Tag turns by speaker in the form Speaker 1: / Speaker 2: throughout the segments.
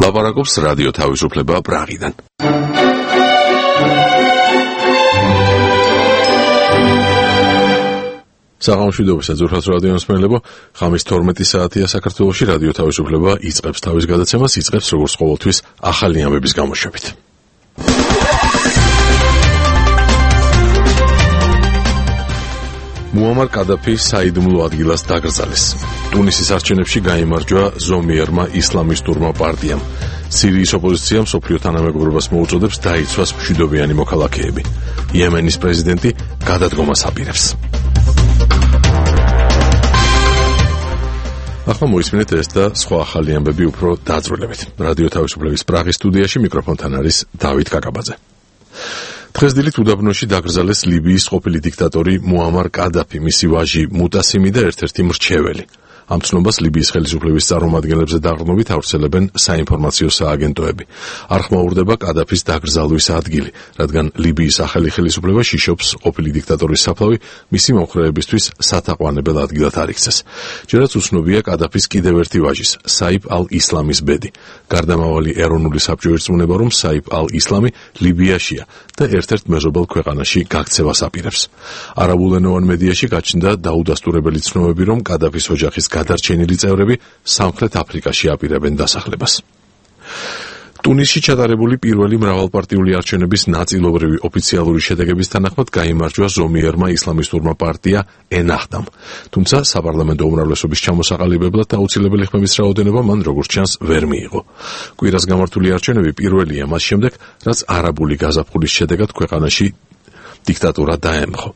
Speaker 1: ლაპარაკობს რადიო თავისუფლება პრაღიდან. საღამოშვიდობისა ძვირფას რადიო მსმენელებო, ხამის 12 საათია საქართველოში, რადიო თავისუფლება იწყებს თავის გადაცემას, იწყებს როგორც ყოველთვის ახალი ამბების გამოშვებით. მუამარ კადაფი საიდუმლო ადგილას დაკრძალეს. ტუნისის არჩევნებში გაიმარჯვა ზომიერმა ისლამისტურმა პარტიამ. სირიის ოპოზიციამ მსოფლიო თანამეგობრობას მოუწოდებს დაიცვას მშვიდობიანი მოქალაქეები. იემენის პრეზიდენტი გადადგომას აპირებს. ახლა მოისმინეთ ეს და სხვა ახალი ამბები უფრო დაწვრილებით. რადიო თავისუფლების პრაღის სტუდიაში მიკროფონთან არის დავით კაკაბაძე. დღეს დილით უდაბნოში დაკრძალეს ლიბიის ყოფილი დიქტატორი მუამარ კადაფი, მისი ვაჟი მუტასიმი და ერთ-ერთი მრჩეველი. ამ ცნობას ლიბიის ხელისუფლების წარმომადგენლებზე დაყრდნობით ავრცელებენ საინფორმაციო სააგენტოები. არ ხმაურდება კადაფის დაკრძალვის ადგილი, რადგან ლიბიის ახალი ხელისუფლება შიშობს ყოფილი დიქტატორის საფლავი მისი მომხრეებისთვის სათაყვანებელ ადგილად არ იქცეს. ჯერაც უცნობია კადაფის კიდევ ერთი ვაჟის, საიფ ალ-ისლამის ბედი. გარდამავალი ეროვნული საბჭო ირწმუნება, რომ საიფ ალ-ისლამი ლიბიაშია და ერთ-ერთ მეზობელ ქვეყანაში გაქცევას აპირებს. არაბულენოვან მედიაში გაჩნდა დაუდასტურებელი ცნობები, რომ კადაფის ოჯახის გადარჩენილი წევრები სამხრეთ აფრიკაში აპირებენ დასახლებას. ტუნისში ჩატარებული პირველი მრავალპარტიული არჩევნების ნაწილობრივი ოფიციალური შედეგების თანახმად გაიმარჯვა ზომიერმა ისლამისტურმა პარტია ენაჰდამ. თუმცა საპარლამენტო უმრავლესობის ჩამოსაყალიბებლად აუცილებელი ხმების რაოდენობა მან როგორც ჩანს ვერ მიიღო. კვირას გამართული არჩევნები პირველია მას შემდეგ, რაც არაბული გაზაფხულის შედეგად ქვეყანაში დიქტატურა დაემხო.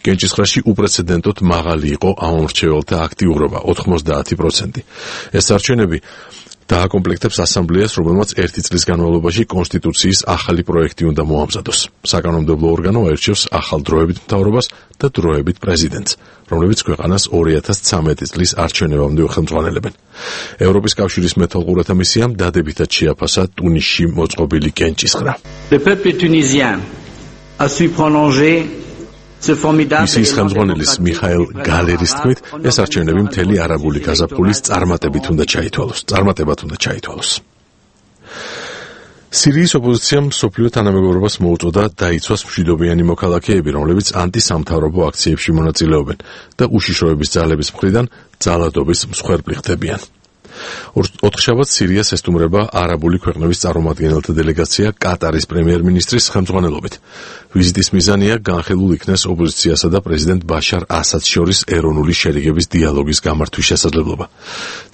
Speaker 1: კენჭისყრაში უპრეცედენტოდ მაღალი იყო ამომრჩეველთა აქტიურობა 90%. ეს არჩევნები დააკომპლექტებს ასამბლეას, რომელმაც ერთი წლის განმავლობაში კონსტიტუციის ახალი პროექტი უნდა მოამზადოს. საკანონმდებლო ორგანო აირჩევს ახალ დროებით მთავრობას და დროებით პრეზიდენტს, რომლებიც ქვეყანას 2013 წლის არჩევნებამდე ხელმძღვანელებენ. ევროპის კავშირის მეთვალყურეთა მისიამ დადებითად შეაფასა ტუნისში მოწყობილი კენჭისყრა.
Speaker 2: Le peuple tunisien a su prolonger
Speaker 1: მისიის ხელმძღვანელის მიხაელ გალერის თქმით, ეს არჩევნები მთელი არაბული გაზაფხულის წარმატებად უნდა ჩაითვალოს. სირიის ოპოზიციამ მსოფლიო თანამეგობრობას მოუწოდა დაიცვას მშვიდობიანი მოქალაქეები, რომლებიც ანტისამთავრობო აქციებში მონაწილეობენ და უშიშროების ძალების მხრიდან ძალადობის მსხვერპლი ხდებიან. ოთხშაბათს სირიას ესტუმრება არაბული ქვეყნების წარმომადგენელთა დელეგაცია კატარის პრემიერ-მინისტრის ხელმძღვანელობით. ვიზიტის მიზანია განხილულ იქნეს ოპოზიციასა და პრეზიდენტ ბაშარ ასადს შორის ეროვნული შერიგების დიალოგის გამართვის შესაძლებლობა.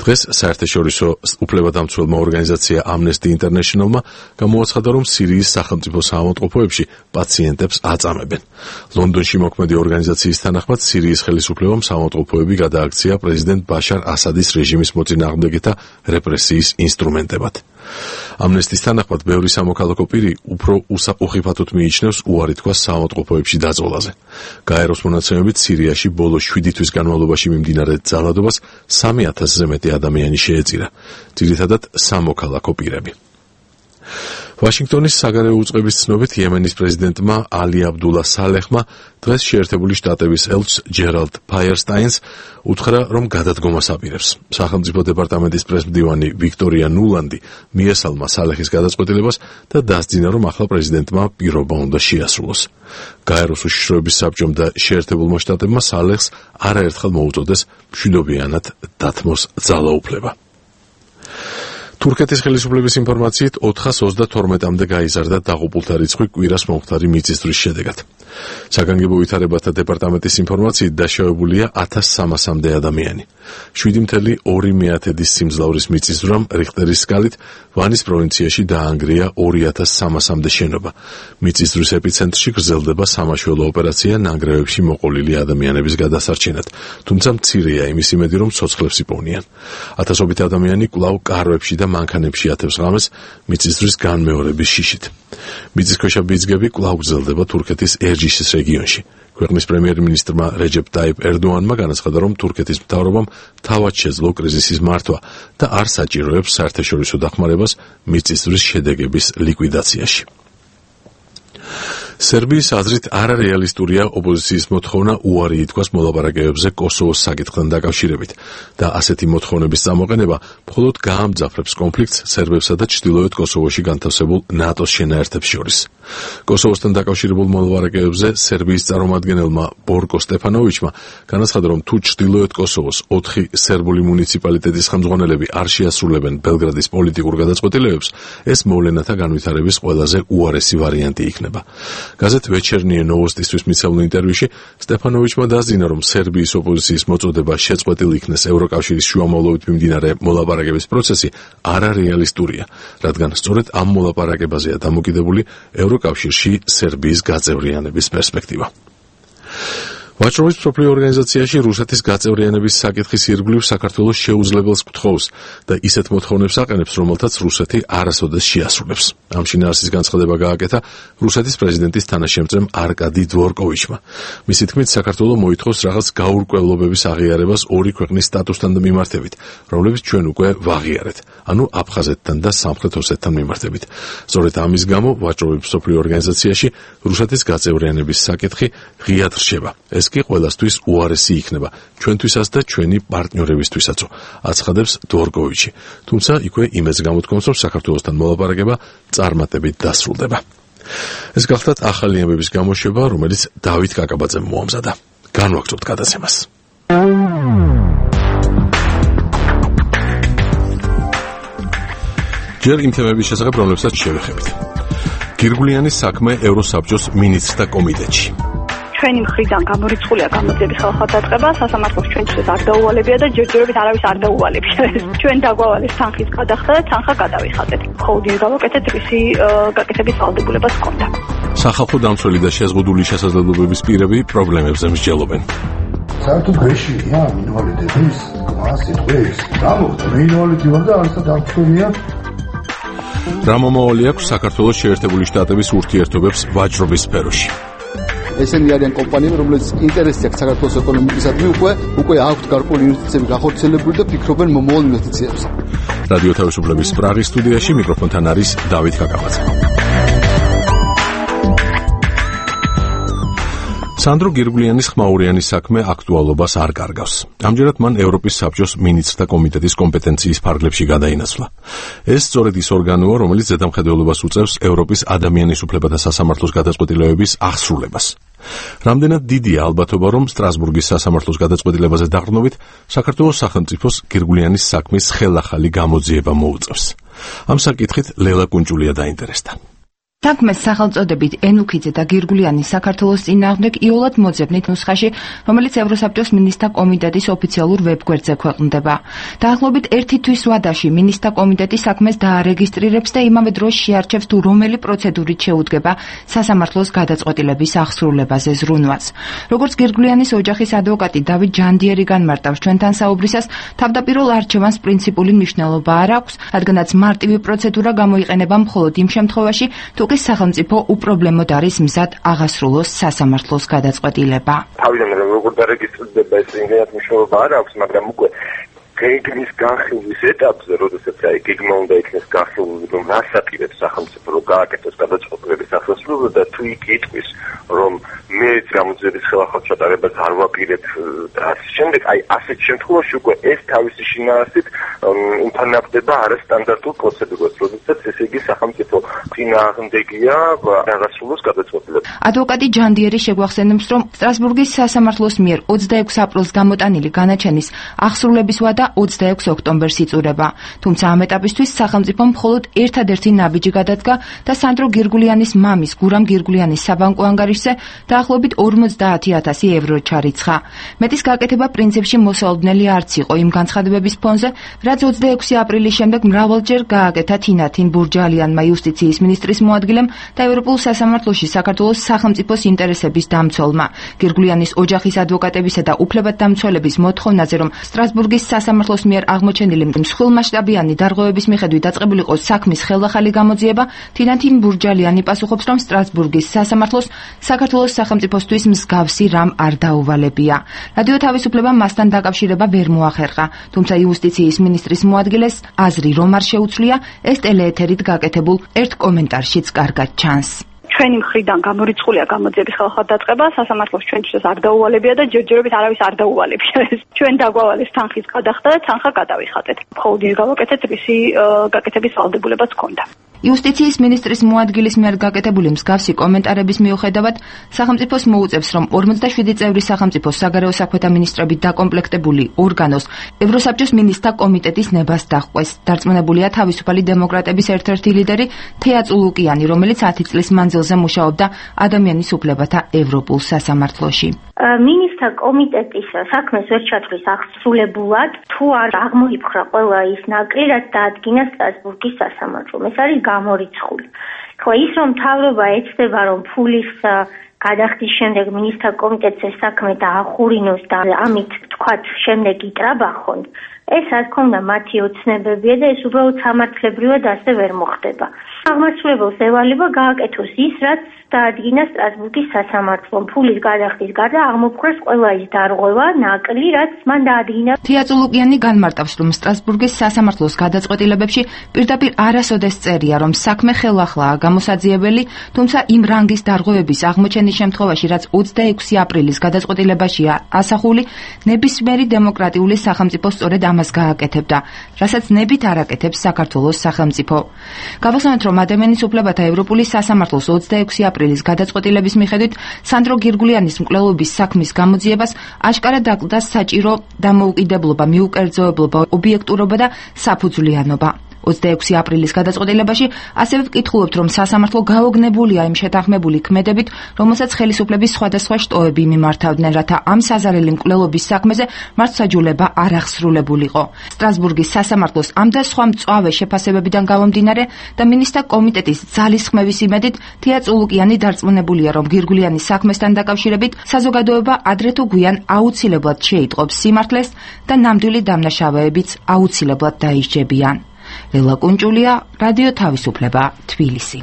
Speaker 1: დღეს საერთაშორისო უფლებადამცველმა ორგანიზაცია Amnesty International-მა გამოაცხადა, რომ სირიის სახელმწიფო საავადმყოფოებში პაციენტებს აწამებენ. ლონდონში მოქმედი ორგანიზაციის თანახმად სირიის ხელისუფლებამ საავადმყოფოები გადააქცია პრეზიდენტ ბაშარ ასადის რეჟიმის მოწინააღმდეგეთა რეპრესიის ინსტრუმენტებად. ამნესტის თანახმად ბევრი სამოქალაქო პირი უფრო უხიფათოდ მიიჩნევს უარი თქვას საავადმყოფოებში დაწოლაზე. გაეროს მონაცემებით სირიაში ბოლო 7 თვის განმავლობაში მიმდინარე ძალადობას 3000-ზე მეტი ადამიანი შეეწირა, ძირითადად სამოქალაქო პირები. ვაშინგტონის საგარეო უწყების ცნობით იემენის პრეზიდენტმა ალი აბდულა სალეხმა დღეს შეერთებული შტატების ელჩს ჯერალდ ფაიერსტაინს უთხრა, რომ გადადგომას აპირებს. სახელმწიფო დეპარტამენტის პრესმდივანი ვიქტორია ნულანდი მიესალმა სალეხის გადაწყვეტილებას და დასძინა, რომ ახლა პრეზიდენტმა პირობა უნდა შეასრულოს. გაეროს უშიშროების საბჭომ და შეერთებულმა შტატებმა სალეხს არაერთხელ მოუწოდეს მშვიდობიანად დათმოს ძალაუფლება. თურქეთის ხელისუფლების ინფორმაციით 422-მდე გაიზარდა დაღუპულთა რიცხვი კვირას მომხდარი მიწისძვრის შედეგად. საგანგებო ვითარებათა დეპარტამენტის ინფორმაციით დაშავებულია 1300-მდე ადამიანი. 7.2 სიმძლავრის მიწისძვრამ რიხტერის სკალით ვანის პროვინციაში დაანგრია 2300-მდე შენობა. მიწისძვრის ეპიცენტრში გრძელდება სამაშველო ოპერაცია ნანგრევებში მოყოლილი ადამიანების გადასარჩენად, თუმცა მცირეა იმის იმედი, რომ ცოცხლებს იპოვნიან. ათასობით ადამიანი კვლავ კარვებში და მანქანებში ათევს ღამეს მიწისძვრის განმეორების შიშით. მიწისქვეშა ბიძგები კვლავ გრძელდება თურქეთის ერჯიშის რეგიონში. ქვეყნის პრემიერ-მინისტრმა რეჯეპ ტაიპ ერდოანმა განაცხადა, რომ თურქეთის მთავრობამ თავად შეძლო კრიზისის მართვა და არ საჭიროებს საერთაშორისო დახმარებას მიწისძვრის შედეგების ლიკვიდაციაში. სერბიის აზრით არარეალისტურია ოპოზიციის მოთხოვნა უარი ითქვას მოლაპარაკებებზე კოსოვოს საკითხთან დაკავშირებით და ასეთი მოთხოვნების წამოყენება მხოლოდ გაამძაფრებს კონფლიქტს სერბებსა და ჩრდილოეთ კოსოვოში განთავსებულ ნატოს შენაერთებს შორის. კოსოვოსთან დაკავშირებულ მოლაპარაკებებზე სერბიის წარმომადგენელმა ბორკო სტეფანოვიჩმა განაცხადა, რომ თუ ჩრდილოეთ კოსოვოს 4 სერბული მუნიციპალიტეტის ხელმძღვანელები არ შეასრულებენ ბელგრადის პოლიტიკურ გადაწყვეტილებებს, ეს მოვლენათა განვითარების ყველაზე უარესი ვარიანტი იქნება. გაზეთ ვეჩერნიე ნოვოსტისთვის მიცემულ ინტერვიუში სტეფანოვიჩმა დაძინა, რომ სერბიის ოპოზიციის მოწოდება შეწყვეტილ იქნეს ევროკავშირის შუამავლობით მიმდინარე მოლაპარაკების პროცესი არარეალისტურია, რადგან სწორედ ამ მოლაპარაკებაზეა დამოკიდებული ევროკავშირში სერბიის გაწევრიანების პერსპექტივა. ვაჭრობის მსოფლიო ორგანიზაციაში რუსეთის გაწევრიანების საკითხის ირგვლივ საქართველოს შეუძლებელს გთხოვს და ისეთ მოთხოვნებს აყენებს, რომელთაც რუსეთი არასოდეს შეასრულებს. ამ შინაარსის განცხადება გააკეთა რუსეთის პრეზიდენტის თანაშემწემ არკადი დვორკოვიჩმა. მისი თქმით, საქართველო მოითხოვს რაღაც გაურკვევლობების აღიარებას ორი ქვეყნის სტატუსთან მიმართებით, რომლებიც ჩვენ უკვე ვაღიარეთ, ანუ აფხაზეთთან და სამხრეთ ოსეთთან მიმართებით. სწორედ ამის გამო ვაჭრობის მსოფლიო ორგანიზაციაში რუსეთის გაწევრიანების საკითხი ღიად რჩება. ეს კი ყველასთვის უარესი იქნება, ჩვენთვისაც და ჩვენი პარტნიორებისთვისაც, აცხადებს დვორკოვიჩი. თუმცა იქვე იმედს გამოთქვამს, რომ საქართველოსთან მოლაპარაკება წარმატებით დასრულდება. ეს გახლდათ ახალი ამბების გამოშვება, რომელიც დავით კაკაბაძემ მოამზადა. განვაგრძობთ გადაცემას. ჯერ იმ თემების შესახებ, რომლებსაც შევეხებით. გირგულიანის საქმე ევროსაბჭოს მინისტრთა კომიტეტში.
Speaker 3: ჩვენი მხრიდან გამორიცხულია გამოძიების ხელხალხადაწყება, სასამართლოს ჩვენთვის არ დაუვალებია და ჯერჯერობით არავის არ დაუვალებია. ჩვენ დაგვავალეს თანხის გადახდა და თანხა გადავიხადეთ. ხოლმე გავაკეთეთ რისი გაკეთების ვალდებულებას ჰქონდა.
Speaker 1: სახალხო დამცველი და შეზღუდული შესაძლებლობების პირები პრობლემებზე მსჯელობენ.
Speaker 4: საერთოდ გეშია მინვალიდების სიტყვის. რა მოხდა? მინვალიდი ვარ და არასად დამცველია.
Speaker 1: რა მომავალი აქვს საქართველოს შეერთებული შტატების ურთიერთობებს ვაჭრობის სფეროში?
Speaker 5: ესენი არიან კომპანიები, რომლებიც ინტერესი აქვს საქართველოს ეკონომიკისადმი, უკვე აქვთ გარკვეული ინვესტიციები გახორციელებული და ფიქრობენ მომავალ ინვესტიციებზე.
Speaker 1: რადიო თავისუფლების პრაღის სტუდიაში მიკროფონთან არის დავით კაკაბაძე. სანდრო გირგულიანის ხმაურიანის საქმე აქტუალობას არ კარგავს. ამჯერად მან ევროპის საბჭოს მინისტრთა კომიტეტის კომპეტენციის ფარგლებში გადაინაცვლა. ეს სწორედ ის ორგანოა, რომელიც ზედამხედველობას უწევს ევროპის ადამიანის უფლებათა სასამართლოს გადაწყვეტილებების აღსრულებას. რამდენად დიდია ალბათობა, რომ სტრასბურგის სასამართლოს გადაწყვეტილებაზე დაყრდნობით საქართველოს სახელმწიფოს გირგულიანის საქმის ხელახალი გამოძიება მოუწევს. ამ საკითხით ლელა კუნჭულია დაინტერესდა.
Speaker 6: საქმეს სახელწოდებით ენუქიძე და გირგულიანის საქართველოს წინააღმდეგ იოლად მოძებნით ნუსხაში, რომელიც ევროსაბჭოს მინისტრთა კომიტეტის ოფიციალურ ვებგვერდზე ქვეყნდება. დაახლოებით 1 თვის ვადაში მინისტრთა კომიტეტი საქმეს დაარეგისტრირებს და იმავე დროს შეარჩევს თუ რომელი პროცედურით შეუდგება სასამართლოს გადაწყვეტილების აღსრულებაზე ზრუნვას. როგორც გირგულიანის ოჯახის ადვოკატი დავით ჯანდიერი განმარტავს ჩვენთან საუბრისას, თავდაპირველ არჩევანს პრინციპული მნიშვნელობა არ აქვს, რადგანაც მარტივი პროცედურა გამოიყენება მხოლოდ იმ შემთხვევაში, თუ კი სახელმწიფო უპრობლემოდ არის მზად აღასრულოს სასამართლოს გადაწყვეტილება.
Speaker 7: თავიდან როგორ დარეგისტრირდება ეს იმედად მნიშვნელობა არ აქვს, მაგრამ უკვე გეგმის განხილვის ეტაპზე, როდესაც გეგმა უნდა იქნეს განხილული, რომ რას აპირებს სახელმწიფო, რომ გააკეთოს გადაწყვეტილების აღსრულება და თუ იქ იტყვის, რომ მე გამოძიების ხელახალ ჩატარებას არ ვაპირებ და ასე შემდეგ, ასეთ შემთხვევაში უკვე ეს თავისი შინაარსით იმფარნავდება არასტანდარტულ პროცედურას, როდესაც ესე იგი სახელმწიფო წინააღმდეგია აღასრულოს გადაწყვეტილებას.
Speaker 6: ადვოკატი ჯანდიერი შეგვახსენებს, რომ სტრასბურგის სასამართლოს მიერ 26 აპრილს გამოტანილი განაჩენის აღსრულების ვადა 26 ოქტომბერს იწურება. თუმცა ამ ეტაპისთვის სახელმწიფომ მხოლოდ ერთადერთი ნაბიჯი გადადგა და სანდრო გირგულიანის მამის გურამ გირგულიანის საბანკო ანგარიშზე დაახლოებით 50,000 ევრო ჩარიცხა. მეტის გაკეთება პრინციპში მოსალოდნელი არც იყო იმ განცხადებების ფონზე, რაც 26 აპრილის შემდეგ მრავალჯერ გააკეთა თინათინ ბურჯალიანმა იუსტიციის მინისტრის მოადგილემ და ევროპულ სასამართლოში საქართველოს სახელმწიფოს ინტერესების დამცველმა. გირგულიანის ოჯახის ადვოკატებისა და უფლებადდამცველების მოთხოვნაზე, რომ სტრასბურგის სასამართლოს მიერ აღმოჩენილი მსხვილმასშტაბიანი დარღვევების მიხედვით დაწყებულიყო საქმის ხელახალი გამოძიება, თინათინ ბურჯალიანი პასუხობს, რომ სტრასბურგის სასამართლოს საქართველოს სახელმწიფოსთვის მსგავსი რამ არ დაუვალებია. რადიო თავისუფლება მასთან დაკავშირება ვერ მოახერხა, თუმცა იუსტიციის მინისტრის მოადგილეს აზრი რომ არ შეუცვლია, ეს ტელეეთერით გაკეთებულ ერთ კომენტარშიც კარგად ჩანს.
Speaker 3: ჩვენი მხრიდან გამორიცხულია გამოძიების ხელხადაწყება, სასამართლოს ჩვენთვის არ დაუვალებია და ჯერჯერობით არავის არ დაუვალებია. ჩვენ დაგვავალეს თანხის გადახდა და თანხა გადავიხატეთ. მხოლოდ ის გავაკეთეთ, რისი გაკეთების ვალდებულებაც ჰქონდა.
Speaker 6: იუსტიციის მინისტრის მოადგილის მიერ გაკეთებული მსგავსი კომენტარების მიუხედავად, სახელმწიფოს მოუწევს, რომ 47 წევრი სახელმწიფოს საგარეო საქმეთა მინისტრებით დაკომპლექტებული ორგანოს ევროსაბჭოს მინისტრთა კომიტეტის ნებას დაჰყვეს. დარწმუნებულია თავისუფალი დემოკრატების ერთ-ერთი ლიდერი თეა წულუკიანი, რომელიც 10 წლის მანძილზე მუშაობდა ადამიანის უფლებათა ევროპულ სასამართლოში.
Speaker 8: მინისტრთა კომიტეტის საქმეს ვერ ჩათვლის აღსრულებულად, თუ არ აღმოიფხვრა ყველა ის ნაკლი, რაც დაადგინა სტრასბურგის სასამართლომ. ეს არის გამორიცხული. ხო, ის რომ მთავრობა ეცდება, რომ ფულის გადახდის შემდეგ მინისტრთა კომიტეტს ეს საქმე დაახურინოს და ამით თქვათ შემდეგ იტრაბახონ, ეს რა თქმა უნდა მათი ოცნებებია და ეს უბრალოდ სამართლებრივად ასე ვერ მოხდება. აღმასრულებელს ევალება გააკეთოს ის, რაც დაადგინა სტრასბურგის სასამართლომ. ფულის გადახდის გარდა აღმოფხვრას ყველა ის დარღვევა, ნაკლი, რაც მან დაადგინა.
Speaker 6: თეა წულუკიანი განმარტავს, რომ სტრასბურგის სასამართლოს გადაწყვეტილებებში პირდაპირ არასოდეს წერია, რომ საქმე ხელახლაა გამოსაძიებელი, თუმცა იმ რანგის დარღვევების აღმოჩენის შემთხვევაში, რაც 26 აპრილის გადაწყვეტილებაშია ასახული, ნებისმიერი დემოკრატიული სახელმწიფო სწორედ ამას გააკეთებდა, რასაც ნებით არ აკეთებს საქართველოს სახელმწიფო. გავახსენოთ, რომ ადამიანის უფლებათა ევროპული სასამართლოს 26 აპრილის გადაწყვეტილების მიხედვით სანდრო გირგულიანის მკვლელობის საქმის გამოძიებას აშკარად დაკლდა საჭირო დამოუკიდებლობა, მიუკერძოებლობა, ობიექტურობა და საფუძვლიანობა. 26 აპრილის გადაწყვეტილებაში ასევე ვკითხულობთ, რომ სასამართლო გაოგნებულია იმ შეთანხმებული ქმედებით, რომელსაც ხელისუფლების სხვადასხვა შტოები მიმართავდნენ, რათა ამ საზარელი მკვლელობის საქმეზე მართლმსაჯულება არ აღსრულებულიყო. სტრასბურგის სასამართლოს ამ და სხვა მწვავე შეფასებებიდან გამომდინარე და მინისტრთა კომიტეტის ძალისხმევის იმედით თეა წულუკიანი დარწმუნებულია, რომ გირგულიანის საქმესთან დაკავშირებით საზოგადოება ადრე თუ გვიან აუცილებლად შეიტყობს სიმართლეს და ნამდვილი დამნაშავეებიც აუცილებლად დაისჯებიან. ლელა კუნჭულია, რადიო თავისუფლება, თბილისი.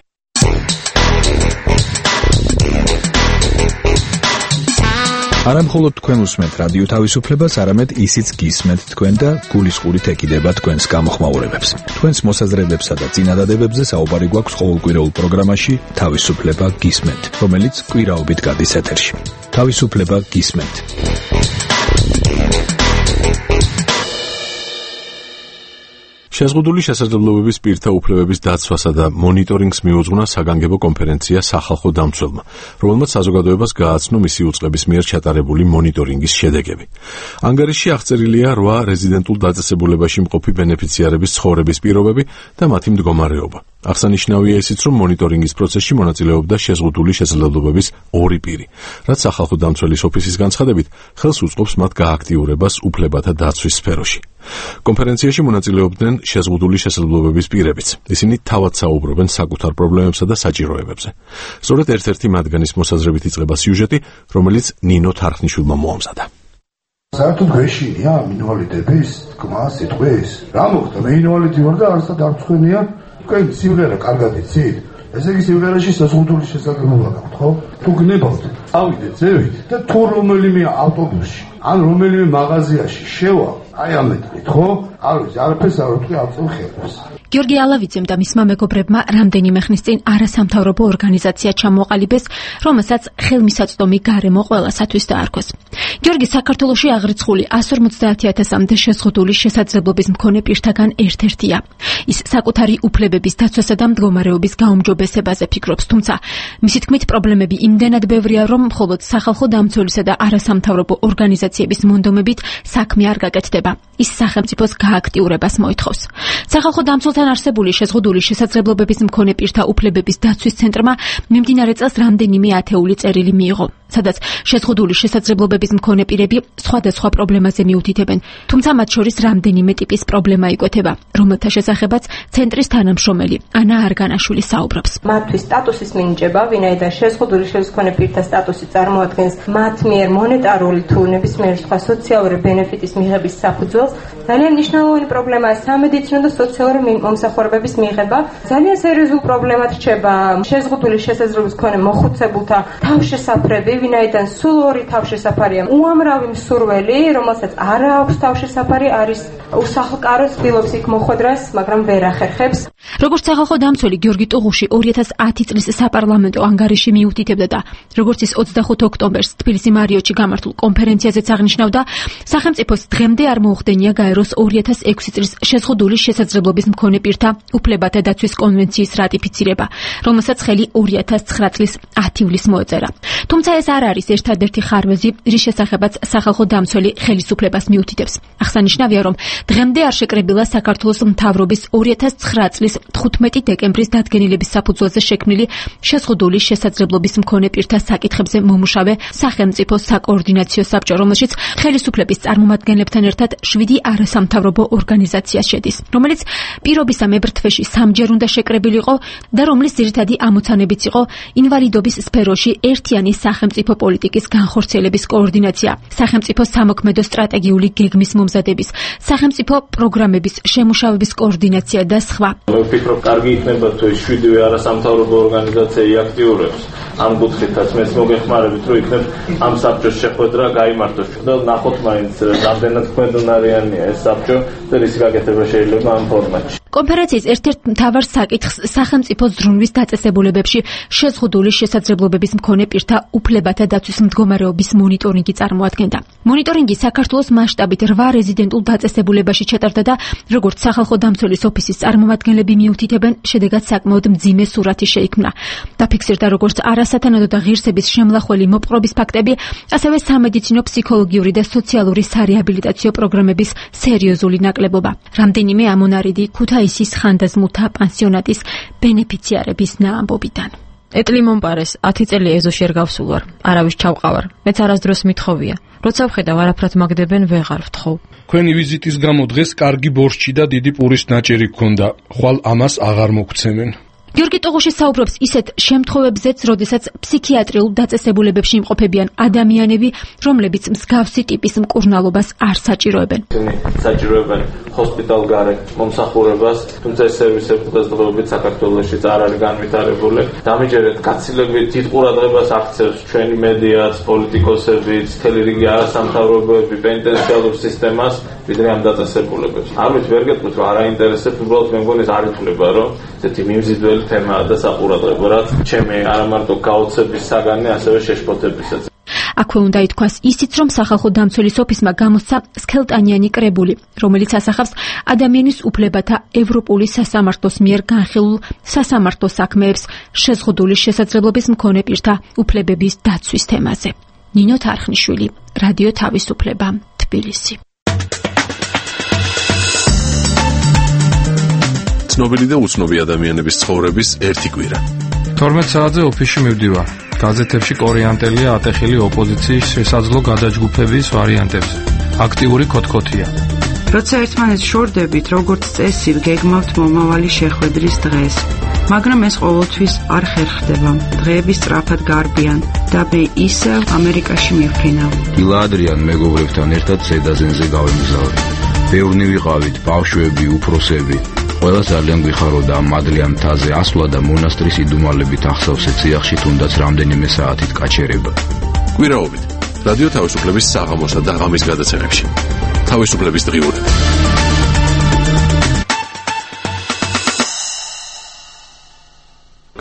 Speaker 9: არა მხოლოდ თქვენ უსმენთ რადიო თავისუფლებას, არამედ ისიც გისმენთ თქვენ და გულისყურით ეკიდება თქვენს გამოხმაურებებს. თქვენს მოსაზრებებსა და წინადადებებზე საუბარი გვაქვს ყოველკვირეულ პროგრამაში თავისუფლება გისმენთ, რომელიც კვირაობით გადის ეთერში. თავისუფლება გისმენთ.
Speaker 1: შეზღუდული შესაძლებლობების პირთა უფლებების დაცვასა და მონიტორინგს მიუძღვნა საგანგებო კონფერენცია სახალხო დამცველმა, რომელმაც საზოგადოებას გააცნო მისი უწყების მიერ ჩატარებული მონიტორინგის შედეგები. ანგარიშში აღწერილია 8 რეზიდენტულ დაწესებულებაში მყოფი ბენეფიციარების ცხოვრების პირობები და მათი მდგომარეობა. აღსანიშნავია ისიც, რომ მონიტორინგის პროცესში მონაწილეობდა შეზღუდული შესაძლებლობების 2 პირი, რაც სახალხო დამცველის ოფისის განცხადებით ხელს უწყობს მათ გააქტიურებას უფლებათა დაცვის სფეროში. კონფერენციაში მონაწილეობდნენ შეზღუდული შესაძლებლობების პირებიც. ისინი თავად საუბრობენ საკუთარ პრობლემებსა და საჭიროებებზე. სწორედ ერთ-ერთი მათგანის მოსაზრებით იწყება სიუჟეტი, რომელიც ნინო თარხნიშვილმა მოამზადა.
Speaker 4: საერთოდ გვეშინია მინვალიდების თქმა სიტყვის. რა მოხდა? მე ინვალიდი ვარ და არასდროს დარწმუნია, თქვენ სიმღერა კარგად იცით? ესე იგი სიმღერაში შეზღუდული შესაძლებლობა გაქვთ, ხო? თუ გნებავთ, წავიდეთ, ზევით და თუ რომელიმე ავტობუსში ან რომელიმე მაღაზიაში შევა, აი ამეთქით, ხო? არ ვიცი, არაფერს არ ვთქვი ავწევ ხელს.
Speaker 10: გიორგი ალავიძემ და მისმა მეგობრებმა რამდენიმე ხნის წინ არასამთავრობო ორგანიზაცია ჩამოყალიბეს, რომელსაც ხელმისაწვდომი გარემო ყველასათვის დაარქვეს. გიორგი საქართველოში აღრიცხული 150,000-მდე შეზღუდული შესაძლებლობის მქონე პირთაგან ერთ-ერთია. ის საკუთარი უფლებების დაცვასა და მდგომარეობის გაუმჯობესებაზე ფიქრობს, თუმცა მისი თქმით პრობლემები იმდენად ბევრია, რომ მხოლოდ სახალხო დამცველისა და არასამთავრობო ორგანიზაციების მონდომებით საქმე არ გაკეთდება. ის სახელმწიფოს გააქტიურებას მოითხოვს. სახალხო დამცველთან არსებული შეზღუდული შესაძლებლობების მქონე პირთა უფლებების დაცვის ცენტრმა მიმდინარე წელს რამდენიმე ათეული წერილი მიიღო, სადაც შეზღუდული შესაძლებლობების მქონე პირები სხვადასხვა პრობლემაზე მიუთითებენ, თუმცა მათ შორის რამდენიმე ტიპის პრობლემა იკვეთება, რომელთა შესახებაც ცენტრის თანამშრომელი ანა არგანაშვილი საუბრობს.
Speaker 11: მათთვის სტატუსის მინიჭება, ვინაიდან შეზღუდული მქონე პირთა სტატუსი წარმოადგენს მათ მიერ მონეტარული თუ ნებისმიერი სხვა სოციალური ბენეფიტის მიღების საფუძველს. ძალიან მნიშვნელოვანი პრობლემაა სამედიცინო და სოციალური მომსახურებების მიღება. ძალიან სერიოზულ პრობლემად რჩება შეზღუდული შესაძლებლობის მქონე მოხუცებულთა თავშესაფრები, ვინაიდან სულ ორი თავშესაფარია. უამრავი მსურველი, რომელსაც არ აქვს თავშესაფარი, არის უსახლკარო, ცდილობს იქ მოხვედრას, მაგრამ ვერ ახერხებს.
Speaker 10: როგორც სახალხო დამცველი გიორგი ტუღუში 2010 წლის საპარლამენტო ანგარიში მიუთითებდა და როგორც ის 25 ოქტომბერს თბილისის მარიოტში გამართულ კონფერენციაზეც აღნიშნავდა, სახელმწიფოს დღემდე არ მოუხდენია გაეროს 2006 წლის შეზღუდული შესაძლებლობის მქონე პირთა უფლებათა დაცვის კონვენციის რატიფიცირება, რომელსაც ხელი 2009 წლის 10 ივლისს მოეწერა. თუმცა ეს არ არის ერთადერთი ხარვეზი, რის შესახებაც სახალხო დამცველი ხელისუფლებას მიუთითებს. აღსანიშნავია, რომ დღემდე არ შეკრებილა საქართველოს მთავრობის 2009 წლის 15 დეკემბრის დადგენილების საფუძველზე შექმნილი შეზღუდული შესაძლებლობის მქონე პირთა საკითხებზე მომუშავე სახელმწიფო საკოორდინაციო საბჭო, რომელშიც ხელისუფლების წარმომადგენლებთან ერთად 7 არასამთავრობო ორგანიზაცია შედის, რომელიც პირობისა მებრძვეში სამჯერ უნდა შეკრებილიყო და რომლის ძირითადი ამოცანებიც იყო ინვალიდობის სფეროში ერთიანი სახელმწიფო პოლიტიკის განხორციელების კოორდინაცია, სახელმწიფო სამოქმედო სტრატეგიული გეგმის მომზადების, სახელმწიფო პროგრამების შემუშავების კოორდინაცია და სხვა.
Speaker 12: ვფიქრობ, კარგი იქნება თუ 7 არასამთავრობო ორგანიზაცია იაქტიურებს ამ კუთხითაც მეც მოგეხმარებით, რომ იქნებ ამ საბჭოს შეხვედრა გაიმართოს და ნახოთ მაინც რამდენად ქვედუნარიანია ეს საბჭო და რის გაკეთება შეიძლება ამ ფორმატში.
Speaker 10: კონფერენციის ერთ-ერთ მთავარ საკითხს სახელმწიფო ზრუნვის დაწესებულებებში შეზღუდული შესაძლებლობების მქონე პირთა უფლებათა დაცვის მდგომარეობის მონიტორინგი წარმოადგენდა. მონიტორინგი საქართველოს მასშტაბით 8 რეზიდენტულ დაწესებულებაში ჩატარდა და როგორც სახალხო დამცველის ოფისის წარმომადგენლები მიუთითებენ, შედეგად საკმაოდ მძიმე სურათი შეიქმნა. დაფიქსირდა როგორც არასათანადო და ღირსების შემლახველი მოპყრობის ფაქტები, ასევე სამედიცინო, ფსიქოლოგიური და სოციალური სარეაბილიტაციო პროგრამების სერიოზული ნაკლებობა. რამდენიმე ამონარიდი ქუთაისის ხანდაზმულთა პანსიონატის ბენეფიციარების ნაამბობიდან.
Speaker 13: ეტლი მომპარეს 10 წელი ეზოში არ გავსულ ვარ, არავის ჩავყავარ. მეც არასდროს მithოვია. როცა ვხედავ არაფრად მაგდებენ, ვეღარ ვთხოვ.
Speaker 14: Ქვენი ვიზიტის გამო დღეს კარგი ბორშჩი და დიდი პურის ნაჭერი გქონდა. ხვალ ამას აღარ მოგცემენ.
Speaker 10: გიორგი ტუღუში საუბრობს ისეთ შემთხვევებზეც, როდესაც ფსიქიატრიულ დაწესებულებებში იმყოფებიან ადამიანები, რომლებიც მსგავსი ტიპის მკურნალობას არ საჭიროებენ.
Speaker 12: საჭიროებენ ჰოსპიტალგარე მომსახურებას, თუმცა ეს სერვისები დღესდღეობით საქართველოში არ არის განვითარებული. დამიჯერეთ გაცილებით დიდ ყურადღებას აქცევს ჩვენი მედიაც, პოლიტიკოსებიც, მთელი რიგი არასამთავრობოები პენტენციალურ სისტემას, ვიდრე ამ დაწესებულებებს. არ ვიცი, ვერ გეტყვით, რომ არ აინტერესებს, უბრალოდ მე მგონი ეს არ ითვლება, რომ ესეთი მიმზიდველი თემაა და საყურადღებო, რაც ჩემი არა მარტო გაოცების საგანი, ასევე შეშფოთებისაც.
Speaker 10: აქვე უნდა ითქვას ისიც, რომ სახალხო დამცველის ოფისმა გამოსცა სქელტანიანი კრებული, რომელიც ასახავს ადამიანის უფლებათა ევროპული სასამართლოს მიერ განხილულ სასამართლო საქმეებს შეზღუდული შესაძლებლობის მქონე პირთა უფლებების დაცვის თემაზე. ნინო თარხნიშვილი, რადიო თავისუფლება, თბილისი.
Speaker 1: ცნობილი და უცნობი ადამიანების ცხოვრების ერთი კვირა.
Speaker 14: 12 საათზე ოფისში მივდივარ. გაზეთებში კორიანტელია ატეხილი ოპოზიციის შესაძლო გადაჯგუფების ვარიანტებზე. აქტიური ქოთქოთია.
Speaker 15: როცა ერთმანეთს შორდებით, როგორც წესი, გეგმავთ მომავალი შეხვედრის დღეს. მაგრამ ეს ყოველთვის არ ხერხდება. დღეები სწრაფად გარბიან და მე ისევ ამერიკაში მივფრინავ.
Speaker 16: დილა ადრიან მეგობრებთან ერთად ზედაზენზე გავემგზავრე. ბევრნი ვიყავით, ბავშვები, უფროსები. ყველა ძალიან გვიხაროდა მადლიან მთაზე ასვლა და მონასტრის იდუმალებით ახსავსე ციახში თუნდაც რამდენიმე საათით გაჩერება.
Speaker 1: კვირაობით რადიო თავისუფლების საღამოსა და ღამის გადაცემებში. თავისუფლების დღიურები.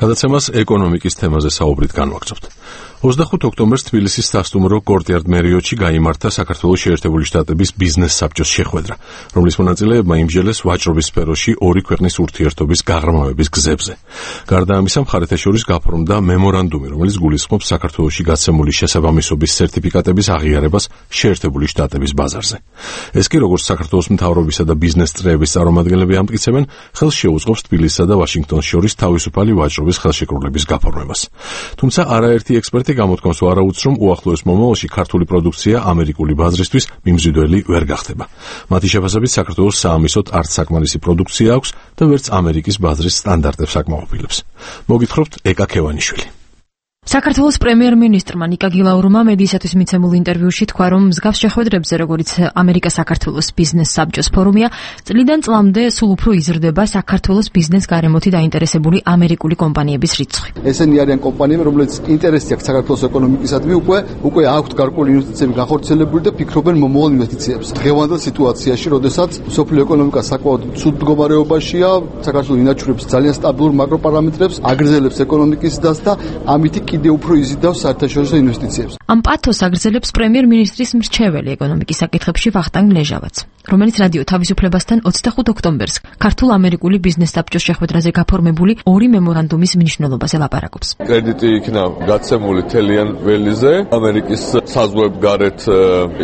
Speaker 1: გადაცემას ეკონომიკის თემაზე საუბრით განვაგრძობთ. 25 ოქტომბერს თბილისის სასტუმრო კორტიარდ მერიოტში გაიმართა საქართველოს შეერთებული შტატების ბიზნეს საბჭოს შეხვედრა, რომლის მონაწილეებმა იმსჯელეს ვაჭრობის სფეროში ორი ქვეყნის ურთიერთობის გაღრმავების გზებზე. გარდა ამისა, მხარეთა შორის გაფორმდა მემორანდუმი, რომელიც გულისხმობს საქართველოში გაცემული შესაბამისობის სერტიფიკატების აღიარებას შეერთებული შტატების ბაზარზე. ეს კი როგორც საქართველოს მთავრობისა და ბიზნეს წრეების წარმომადგენლები ამტკიცებენ, ხელს შეუწყობს თბილისსა და ვაშინგტონს შორის თავისუფალი ვაჭრობის ხელშეკრულების გაფორმებას. თუმცა არაერთი ექსპერტი გამოთქვამს ვარაუდს, რომ უახლოეს მომავალში ქართული პროდუქცია ამერიკული ბაზრისთვის მიმზიდველი ვერ გახდება. მათი შეფასებით საქართველოს საამისოდ არც საკმარისი პროდუქცია აქვს და ვერც ამერიკის ბაზრის სტანდარტებს აკმაყოფილებს. მოგითხრობთ ეკა ქევანიშვილი.
Speaker 13: საქართველოს პრემიერ-მინისტრმა ნიკა გილაურმა მედიისათვის მიცემულ ინტერვიუში თქვა, რომ მსგავს შეხვედრებზე, როგორც ამერიკა-საქართველოს ბიზნეს საბჭოს ფორუმია, წლიდან წლამდე სულ უფრო იზრდება საქართველოს ბიზნეს გარემოთი დაინტერესებული ამერიკული კომპანიების რიცხვი.
Speaker 5: ესენი არიან კომპანიები, რომლებიც ინტერესი აქვს საქართველოს ეკონომიკისადმი, უკვე აქვთ გარკვეული ინვესტიციები განხორციელებული და ფიქრობენ მომავალ ინვესტიციებს. დღევანდელ სიტუაციაში, როდესაც სოფლიო ეკონომიკა საკმაოდ ცუდ მდგომარეობაშია, საქართველოს ინაჩვენებს ძალიან სტაბილურ მაკროპარამეტრებს, აგრძელებს ეკონომიკის დას და ამით კიდევ უფრო იზიდავს საერთაშორისო ინვესტიციებს.
Speaker 13: ამ პათოს აგრძელებს პრემიერ-მინისტრის მრჩეველი ეკონომიკის საკითხებში ვახტანგ ლეჟავაც, რომელიც რადიო თავისუფლებასთან 25 ოქტომბერს ქართულ-ამერიკული ბიზნეს საბჭოს შეხვედრაზე გაფორმებული ორი მემორანდუმის მნიშვნელობაზე ლაპარაკობს.
Speaker 1: კრედიტი იქნა გაცემული თელიან ველიზე, ამერიკის საზღვებგარეთ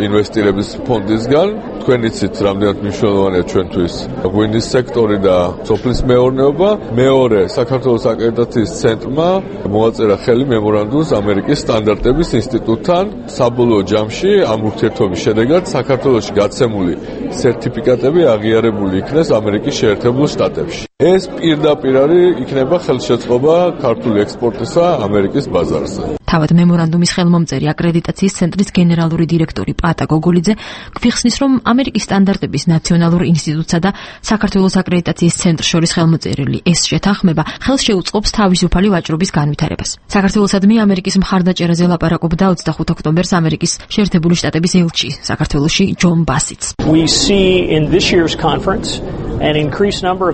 Speaker 1: ინვესტირების ფონდისგან. თქვენ იცით, რამდენად მნიშვნელოვანია ჩვენთვის ღვინის სექტორი და სოფლის მეურნეობა. მეორე, საქართველოს აკრედიტაციის ცენტრმა მოაწერა ხელი მემორანდუმს ამერიკის სტანდარტების ინსტიტუტთან. საბოლოო ჯამში ამ ურთიერთობის შედეგად საქართველოში გაცემული სერტიფიკატები აღიარებული იქნეს ამერიკის შეერთებულ შტატებში. ეს პირდაპირ იქნება ხელშეწყობა ქართული ექსპორტისა ამერიკის ბაზარზე.
Speaker 13: თავად მემორანდუმის ხელმომწერი აკრედიტაციის ცენტრის გენერალური დირექტორი პატა გოგოლიძე გვიხსნის, რომ ამერიკის სტანდარტების ნაციონალურ ინსტიტუტსა და საქართველოს აკრედიტაციის ცენტრს შორის ხელმოწერილი ეს შეთანხმება ხელს შეუწყობს თავისუფალი ვაჭრობის განვითარებას. საქართველოსადმი ამერიკის მხარდაჭერაზე ლაპარაკობდა 25 ოქტომბერს ამერიკის შეერთებული შტატების ელჩი საქართველოში ჯონ ბასიც.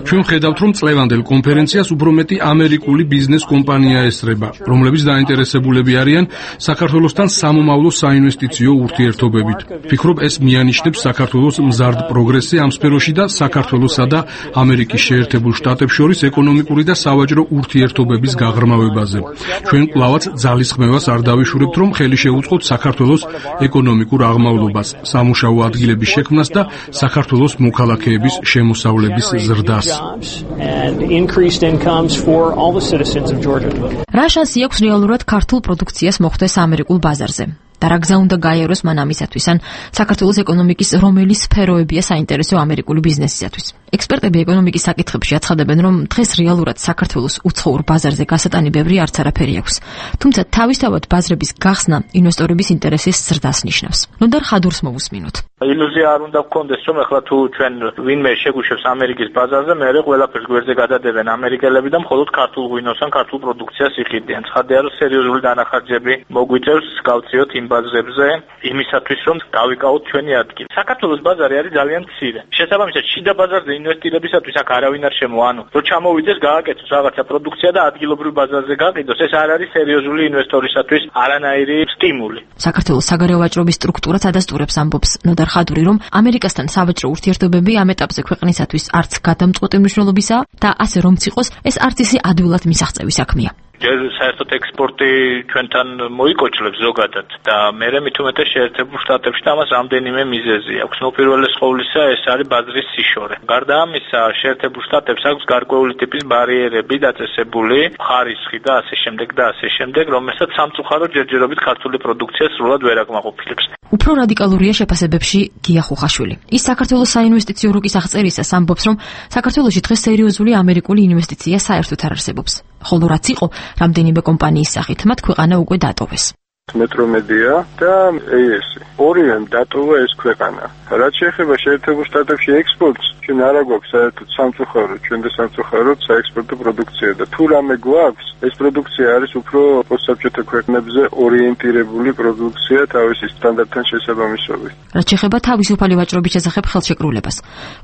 Speaker 14: ჩვენ ხედავთ, რომ წლევანდელ კონფერენციას უფრო მეტი ამერიკული ბიზნეს კომპანია ესწრება, რომლებიც დაინტერესებულები არიან საქართველოსთან სამომავლო საინვესტიციო ურთიერთობებით. ვფიქრობ, ეს მიანიშნებს საქართველოს მზარდ პროგრესზე ამ სფეროში და საქართველოსა და ამერიკის შეერთებულ შტატებს შორის ეკონომიკური და სავაჭრო ურთიერთობების გაღრმავებაზე. ჩვენ კვლავაც ძალისხმევას არ დავიშურებთ, რომ ხელი შეუწყოთ საქართველოს ეკონომიკურ აღმავლობას, სამუშაო ადგილების შექმნას და საქართველოს მოქალაქეების შემოსავლების ზრდას.
Speaker 13: რა შანსი აქვს რეალურად ქართულ პროდუქციას მოხვდეს ამერიკულ ბაზარზე? და რა გზა უნდა გაიაროს მან ამისათვის, ან საქართველოს ეკონომიკის რომელი სფეროებია საინტერესო ამერიკული ბიზნესისათვის? ექსპერტები ეკონომიკის საკითხებში აცხადებენ, რომ დღეს რეალურად საქართველოს უცხოურ ბაზარზე გასატანი ბევრი არც არაფერი აქვს. თუმცა თავისთავად ბაზრების გახსნა ინვესტორების ინტერესის ზრდას ნიშნავს. ნოდარ ხადურს მოვუსმინოთ.
Speaker 12: ილუზია არ უნდა გქონდეს, რომ ახლა თუ ჩვენ ვინმე შეგუშვებს ამერიკის ბაზარზე, მეორე ყველაფერს გვერდზე გადადებენ ამერიკელები და მხოლოდ ქართულ ღვინოს ან ქართულ პროდუქციას იყიდიან. ცხადია, რომ სერიოზული დანახარჯები მოგვიწევს გავწიოთ იმ ბაზრებზე იმისათვის, რომ დავიკავოთ ჩვენი ადგილი. საქართველოს ბაზარი არის ძალიან მცირე. შესაბამისად, შიდა ბაზარზე ინვესტირებისათვის აქ არავინ არ შემოანო. რომ ჩამოვიდეს, გააკეთოს რაღაცა პროდუქცია და ადგილობრივ ბაზარზე გაყიდოს, ეს არ არის სერიოზული ინვესტორისათვის არანაირი სტიმული.
Speaker 13: საქართველოს საგარეო ვაჭრობის სტრუქტურაც ადასტურებს ამბობს ნოდარ ხადური, რომ ამერიკასთან სავაჭრო ურთიერთობები ამ ეტაპზე ქვეყნისათვის არც გადამწყვეტი მნიშვნელობისაა და ასე რომც იყოს, ეს არც ისე ადვილად მისაღწევი საქმეა.
Speaker 12: ჯერ საერთოდ ექსპორტი ჩვენთან მოიკოჩლებს ზოგადად და მერე მით უმეტეს შეერთებულ შტატებში და ამას რამდენიმე მიზეზი აქვს. უპირველეს ყოვლისა ეს არის ბაზრის სიშორე. გარდა ამისა, შეერთებულ შტატებს აქვს გარკვეული ტიპის ბარიერები დაწესებული, ხარისხი და ასე შემდეგ, რომელსაც სამწუხაროდ ჯერჯერობით ქართული პროდუქცია სრულად ვერ აკმაყოფილებს.
Speaker 13: უფრო რადიკალურია შეფასებებში გია ხუხაშვილი. ის საქართველოს საინვესტიციო რუკის აღწერისას ამბობს, რომ საქართველოში დღეს სერიოზული ამერიკული ინვესტიცია საერთოდ არ არსებობს. ხოლო რაც იყო, რამდენიმე კომპანიის სახით მათ ქვეყანა უკვე დატოვეს.
Speaker 17: მეტრომედია და AS. ორივემ დატოვა ეს ქვეყანა. რაც შეეხება შეერთებულ შტატებში ექსპორტს, ჩვენ არ გვაქვს საერთოდ სამწუხაროდ, ჩვენ და სამწუხაროდ საექსპორტო პროდუქცია და თუ რამე გვაქვს, ეს პროდუქცია არის უფრო პოსტსაბჭოთა ქვეყნებზე ორიენტირებული პროდუქცია თავისი სტანდარტთან შესაბამისობით.
Speaker 13: რაც შეეხება თავისუფალი ვაჭრობის შესახებ ხელშეკრულებას.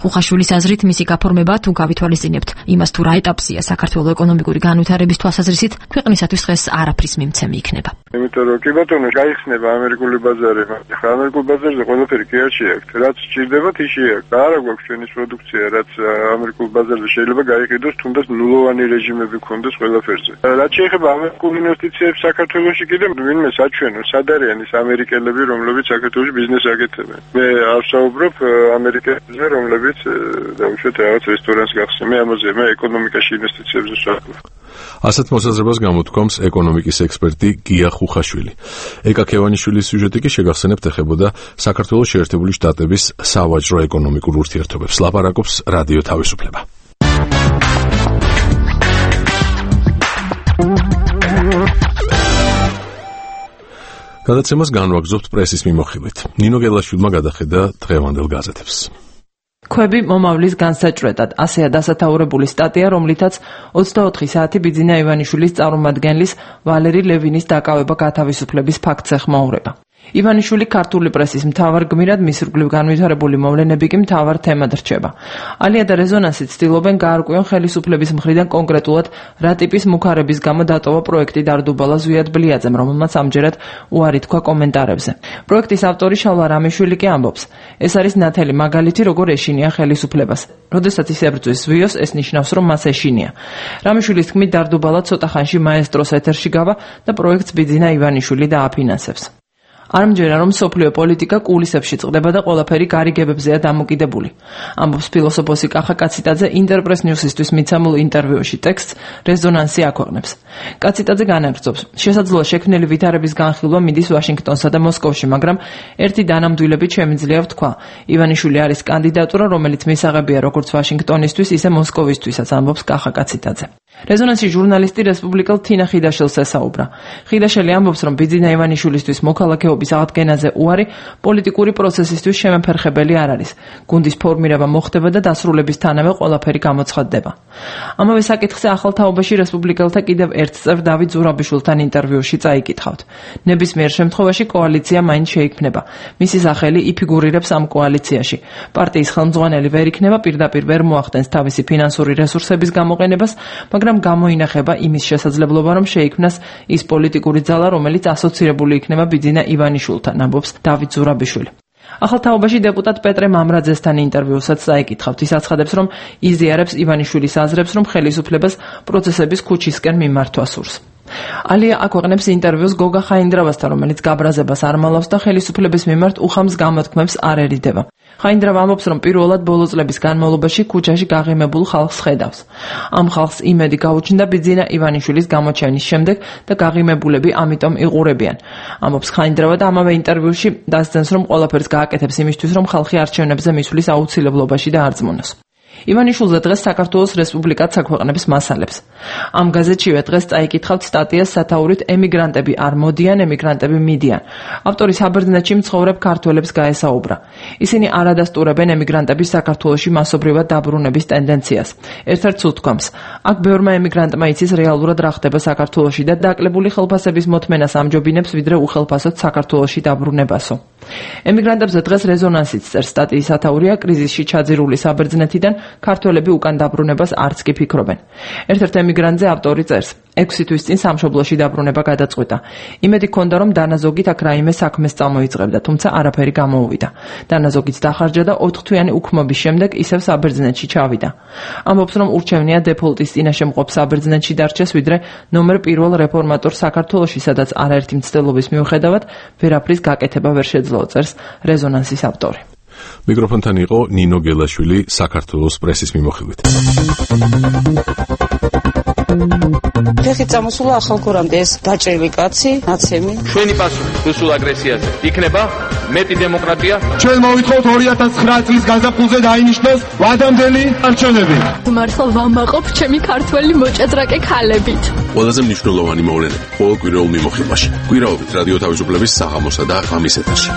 Speaker 13: ხუხაშვილის აზრით, მისი გაფორმება თუ გავითვალისწინებთ იმას, თუ რა ეტაპზეა საქართველოს ეკონომიკური განვითარების თვალსაზრისით, ქვეყნისათვის დღეს არაფრის მიმცემი იქნება.
Speaker 17: იმიტომ რომ კი ბატონო, გაიხსნება ამერიკული ბაზარი, ხა ამერიკულ ბაზარზე ყველაფერი კი არ შეაქვთ. რაც სჭირდებათ, ის შეაქვთ. არა გვაქვს ჩვენი პროდუქცია, რაც ამერიკულ ბაზარზე შეიძლება გაიყიდოს, თუნდაც ნულოვანი რეჟიმები ქონდეს ყველაფერზე. რაც შეეხება ამერიკულ ინვესტიციებს საქართველოში, კიდევ ვინმე საჩვენო, სად არიან ის ამერიკელები, რომლებიც საქართველოში ბიზნეს აკეთებენ. მე არ საუბრობ ამერიკელებზე, რომლებიც დაუშვათ რაღაც რესტორანს გახსნიან. მე ეკონომიკაში ინვესტიციებზე საუბრობ.
Speaker 1: ასეთ მოსაზრებას გამოთქვამს ეკონომიკის ექსპერტი გია ხუხაშვილი. ეკა ქევანიშვილის სიუჟეტი კი შეგახსენებთ ეხებოდა საქართველოს შეერთებული შტატების სავაჭრო ეკონომიკურ ურთიერთობებს. ლაპარაკობს რადიო თავისუფლება. გადაცემას განვაგრძობთ პრესის მიმოხილვით. ნინო გელაშვილმა გადახედა დღევანდელ გაზეთებს.
Speaker 18: ქვები მომავლის განსაჭრელად, ასეა დასათაურებული სტატია, რომლითაც 24 საათი ბიძინა ივანიშვილის წარმომადგენლის ვალერი ლევინის დაკავება გათავისუფლების ფაქტს ეხმაურება. ივანიშვილი ქართული პრესის მთავარ გმირად, მის ირგვლივ განვითარებული მოვლენები კი მთავარ თემად რჩება. ალია და რეზონანსი ცდილობენ გაარკვიონ ხელისუფლების მხრიდან კონკრეტულად რა ტიპის მუქარების გამო დატოვა პროექტი დარდუბალა ზვიად ბლიაძემ, რომელმაც ამჯერად უარი თქვა კომენტარებზე. პროექტის ავტორი შალვა რამიშვილი კი ამბობს, ეს არის ნათელი მაგალითი, როგორ ეშინია ხელისუფლებას. როდესაც ის ებრძვის ზვიოს, ეს ნიშნავს, რომ მას ეშინია. რამიშვილის თქმით, დარდუბალა ცოტა ხანში მაესტროს ეთერში გავა და პროექტს ბიძინა ივანიშვილი დააფინანსებს. არ მჯერა, რომ სოფლიო პოლიტიკა კულისებში წყდება და ყველაფერი გარიგებებზეა დამოკიდებული. ამბობს ფილოსოფოსი კახა კაციტაძე ინტერპრეს ნიუსისთვის მიცემულ ინტერვიუში. ტექსტს რეზონანსი აქვეყნებს. კაციტაძე განაგრძობს, შესაძლოა შექმნილი ვითარების განხილვა მიდის ვაშინგტონსა და მოსკოვში, მაგრამ ერთი დანამდვილებით შემიძლია ვთქვა. ივანიშვილი არის კანდიდატურა, რომელიც მისაღებია როგორც ვაშინგტონისთვის, ისე მოსკოვისთვისაც, ამბობს კახა კაციტაძე. რეზონანსი ჟურნალისტი რესპუბლიკელ თინა ხიდაშელს ესაუბრა. ხიდაშელი ამბობს, რომ ბიძინა ივანიშვილისთვის მოქალაქეობის აღდგენაზე უარი პოლიტიკური პროცესისთვის შემეფერხებელი არ არის. გუნდის ფორმირება მოხდება და დასრულებისთანავე ყველაფერი გამოცხადდება. ამავე საკითხზე ახალ თაობაში რესპუბლიკელთა კიდევ ერთ წევრ დავით ზურაბიშვილთან ინტერვიუში წაიკითხავთ. ნებისმიერ შემთხვევაში კოალიცია მაინც შეიქმნება. მისი სახელი იფიგურირებს ამ კოალიციაში. პარტიის ხელმძღვანელი ვერ იქნება, პირდაპირ ვერ მოახდენს თავისი ფინანსური რესურსების გამოყენებას, მაგრამ გამოინახება იმის შესაძლებლობა, რომ შეიქმნას ის პოლიტიკური ძალა, რომელიც ასოცირებული იქნება ბიძინა ივანიშვილთან, ამბობს დავით ზურაბიშვილი. ახალ თაობაში დეპუტატ პეტრე მამრაძესთან ინტერვიუსაც წაიკითხავთ. ის აცხადებს, რომ იზიარებს ივანიშვილის აზრებს, რომ ხელისუფლებას პროცესების ქუჩისკენ მიმართვა სურს. ალია აქვეყნებს ინტერვიუს გოგა ხაინდრავასთან, რომელიც გაბრაზებას არ მალავს და ხელისუფლების მიმართ უხამს გამოთქმებს არ ერიდება. ხაინდრავა ამბობს, რომ პირველად ბოლო წლების განმავლობაში ქუჩაში გაღიმებულ ხალხს ხედავს. ამ ხალხს იმედი გაუჩნდა ბიძინა ივანიშვილის გამოჩენის შემდეგ და გაღიმებულები ამიტომ იყურებიან. ამბობს ხაინდრავა და ამავე ინტერვიუში დასძენს, რომ ყველაფერს გააკეთებს იმისთვის, რომ ხალხი არჩევნებზე მისვლის აუცილებლობაში დაარწმუნოს. ივანიშვილზე დღეს საქართველოს რესპუბლიკაც აქვეყნებს მასალებს. ამ გაზეთშივე დღეს წაიკითხავთ სტატიას სათაურით ემიგრანტები არ მოდიან, ემიგრანტები მიდიან. ავტორი საბერძნეთში მცხოვრებ ქართველებს გაესაუბრა. ისინი არ ადასტურებენ ემიგრანტების საქართველოში მასობრივად დაბრუნების ტენდენციას. ერთ-ერთ უთქვამს, აქ ბევრმა ემიგრანტმა იცის რეალურად რა ხდება საქართველოში და დაკლებული ხელფასების მოთმენას ამჯობინებს, ვიდრე უხელფასოდ საქართველოში დაბრუნებასო. ემიგრანტებზე დღეს რეზონანსიც წერს სტატიის სათაურია, კრიზისში ჩაძირული საბერძნეთიდან ქართველები უკან დაბრუნებას არც კი ფიქრობენ. ერთ-ერთ ემიგრანტზე ავტორი წერს, 6 თვის წინ სამშობლოში დაბრუნება გადაწყვიტა. იმედი ჰქონდა, რომ დანაზოგით აქ რაიმე საქმეს წამოიწყებდა, თუმცა არაფერი გამოუვიდა. დანაზოგიც დახარჯა და 4 თვიანი უქმობის შემდეგ ისევ საბერძნეთში ჩავიდა. ამბობს, რომ ურჩევნია დეფოლტის წინაშე მყოფ საბერძნეთში დარჩეს, ვიდრე ნომერ პირველ რეფორმატორ საქართველოში, სადაც არაერთი მცდელობის მიუხედავად ვერაფრის გაკეთება ვერ შეძლო, წერს რეზონანსის ავტორი.
Speaker 1: მიკროფონთან იყო ნინო გელაშვილი საქართველოს პრესის მიმოხილვით.
Speaker 19: ფეხით წამოსულა ახალგორამდე ეს დაჭრილი კაცი, ნაცემი.
Speaker 20: ჩვენი პასუხი რუსულ აგრესიაზე იქნება მეტი დემოკრატია.
Speaker 21: ჩვენ მოვითხოვთ 2009 წლის გაზაფხულზე დაინიშნოს ვადამდელი არჩევნები.
Speaker 22: მართლა ვამაყობ ჩემი ქართველი მოჭადრაკე ქალებით.
Speaker 1: ყველაზე მნიშვნელოვანი მოვლენები ყოველ კვირაულ მიმოხილვაში. კვირაობით რადიო თავისუფლების საღამოსა და ღამის ეთერში.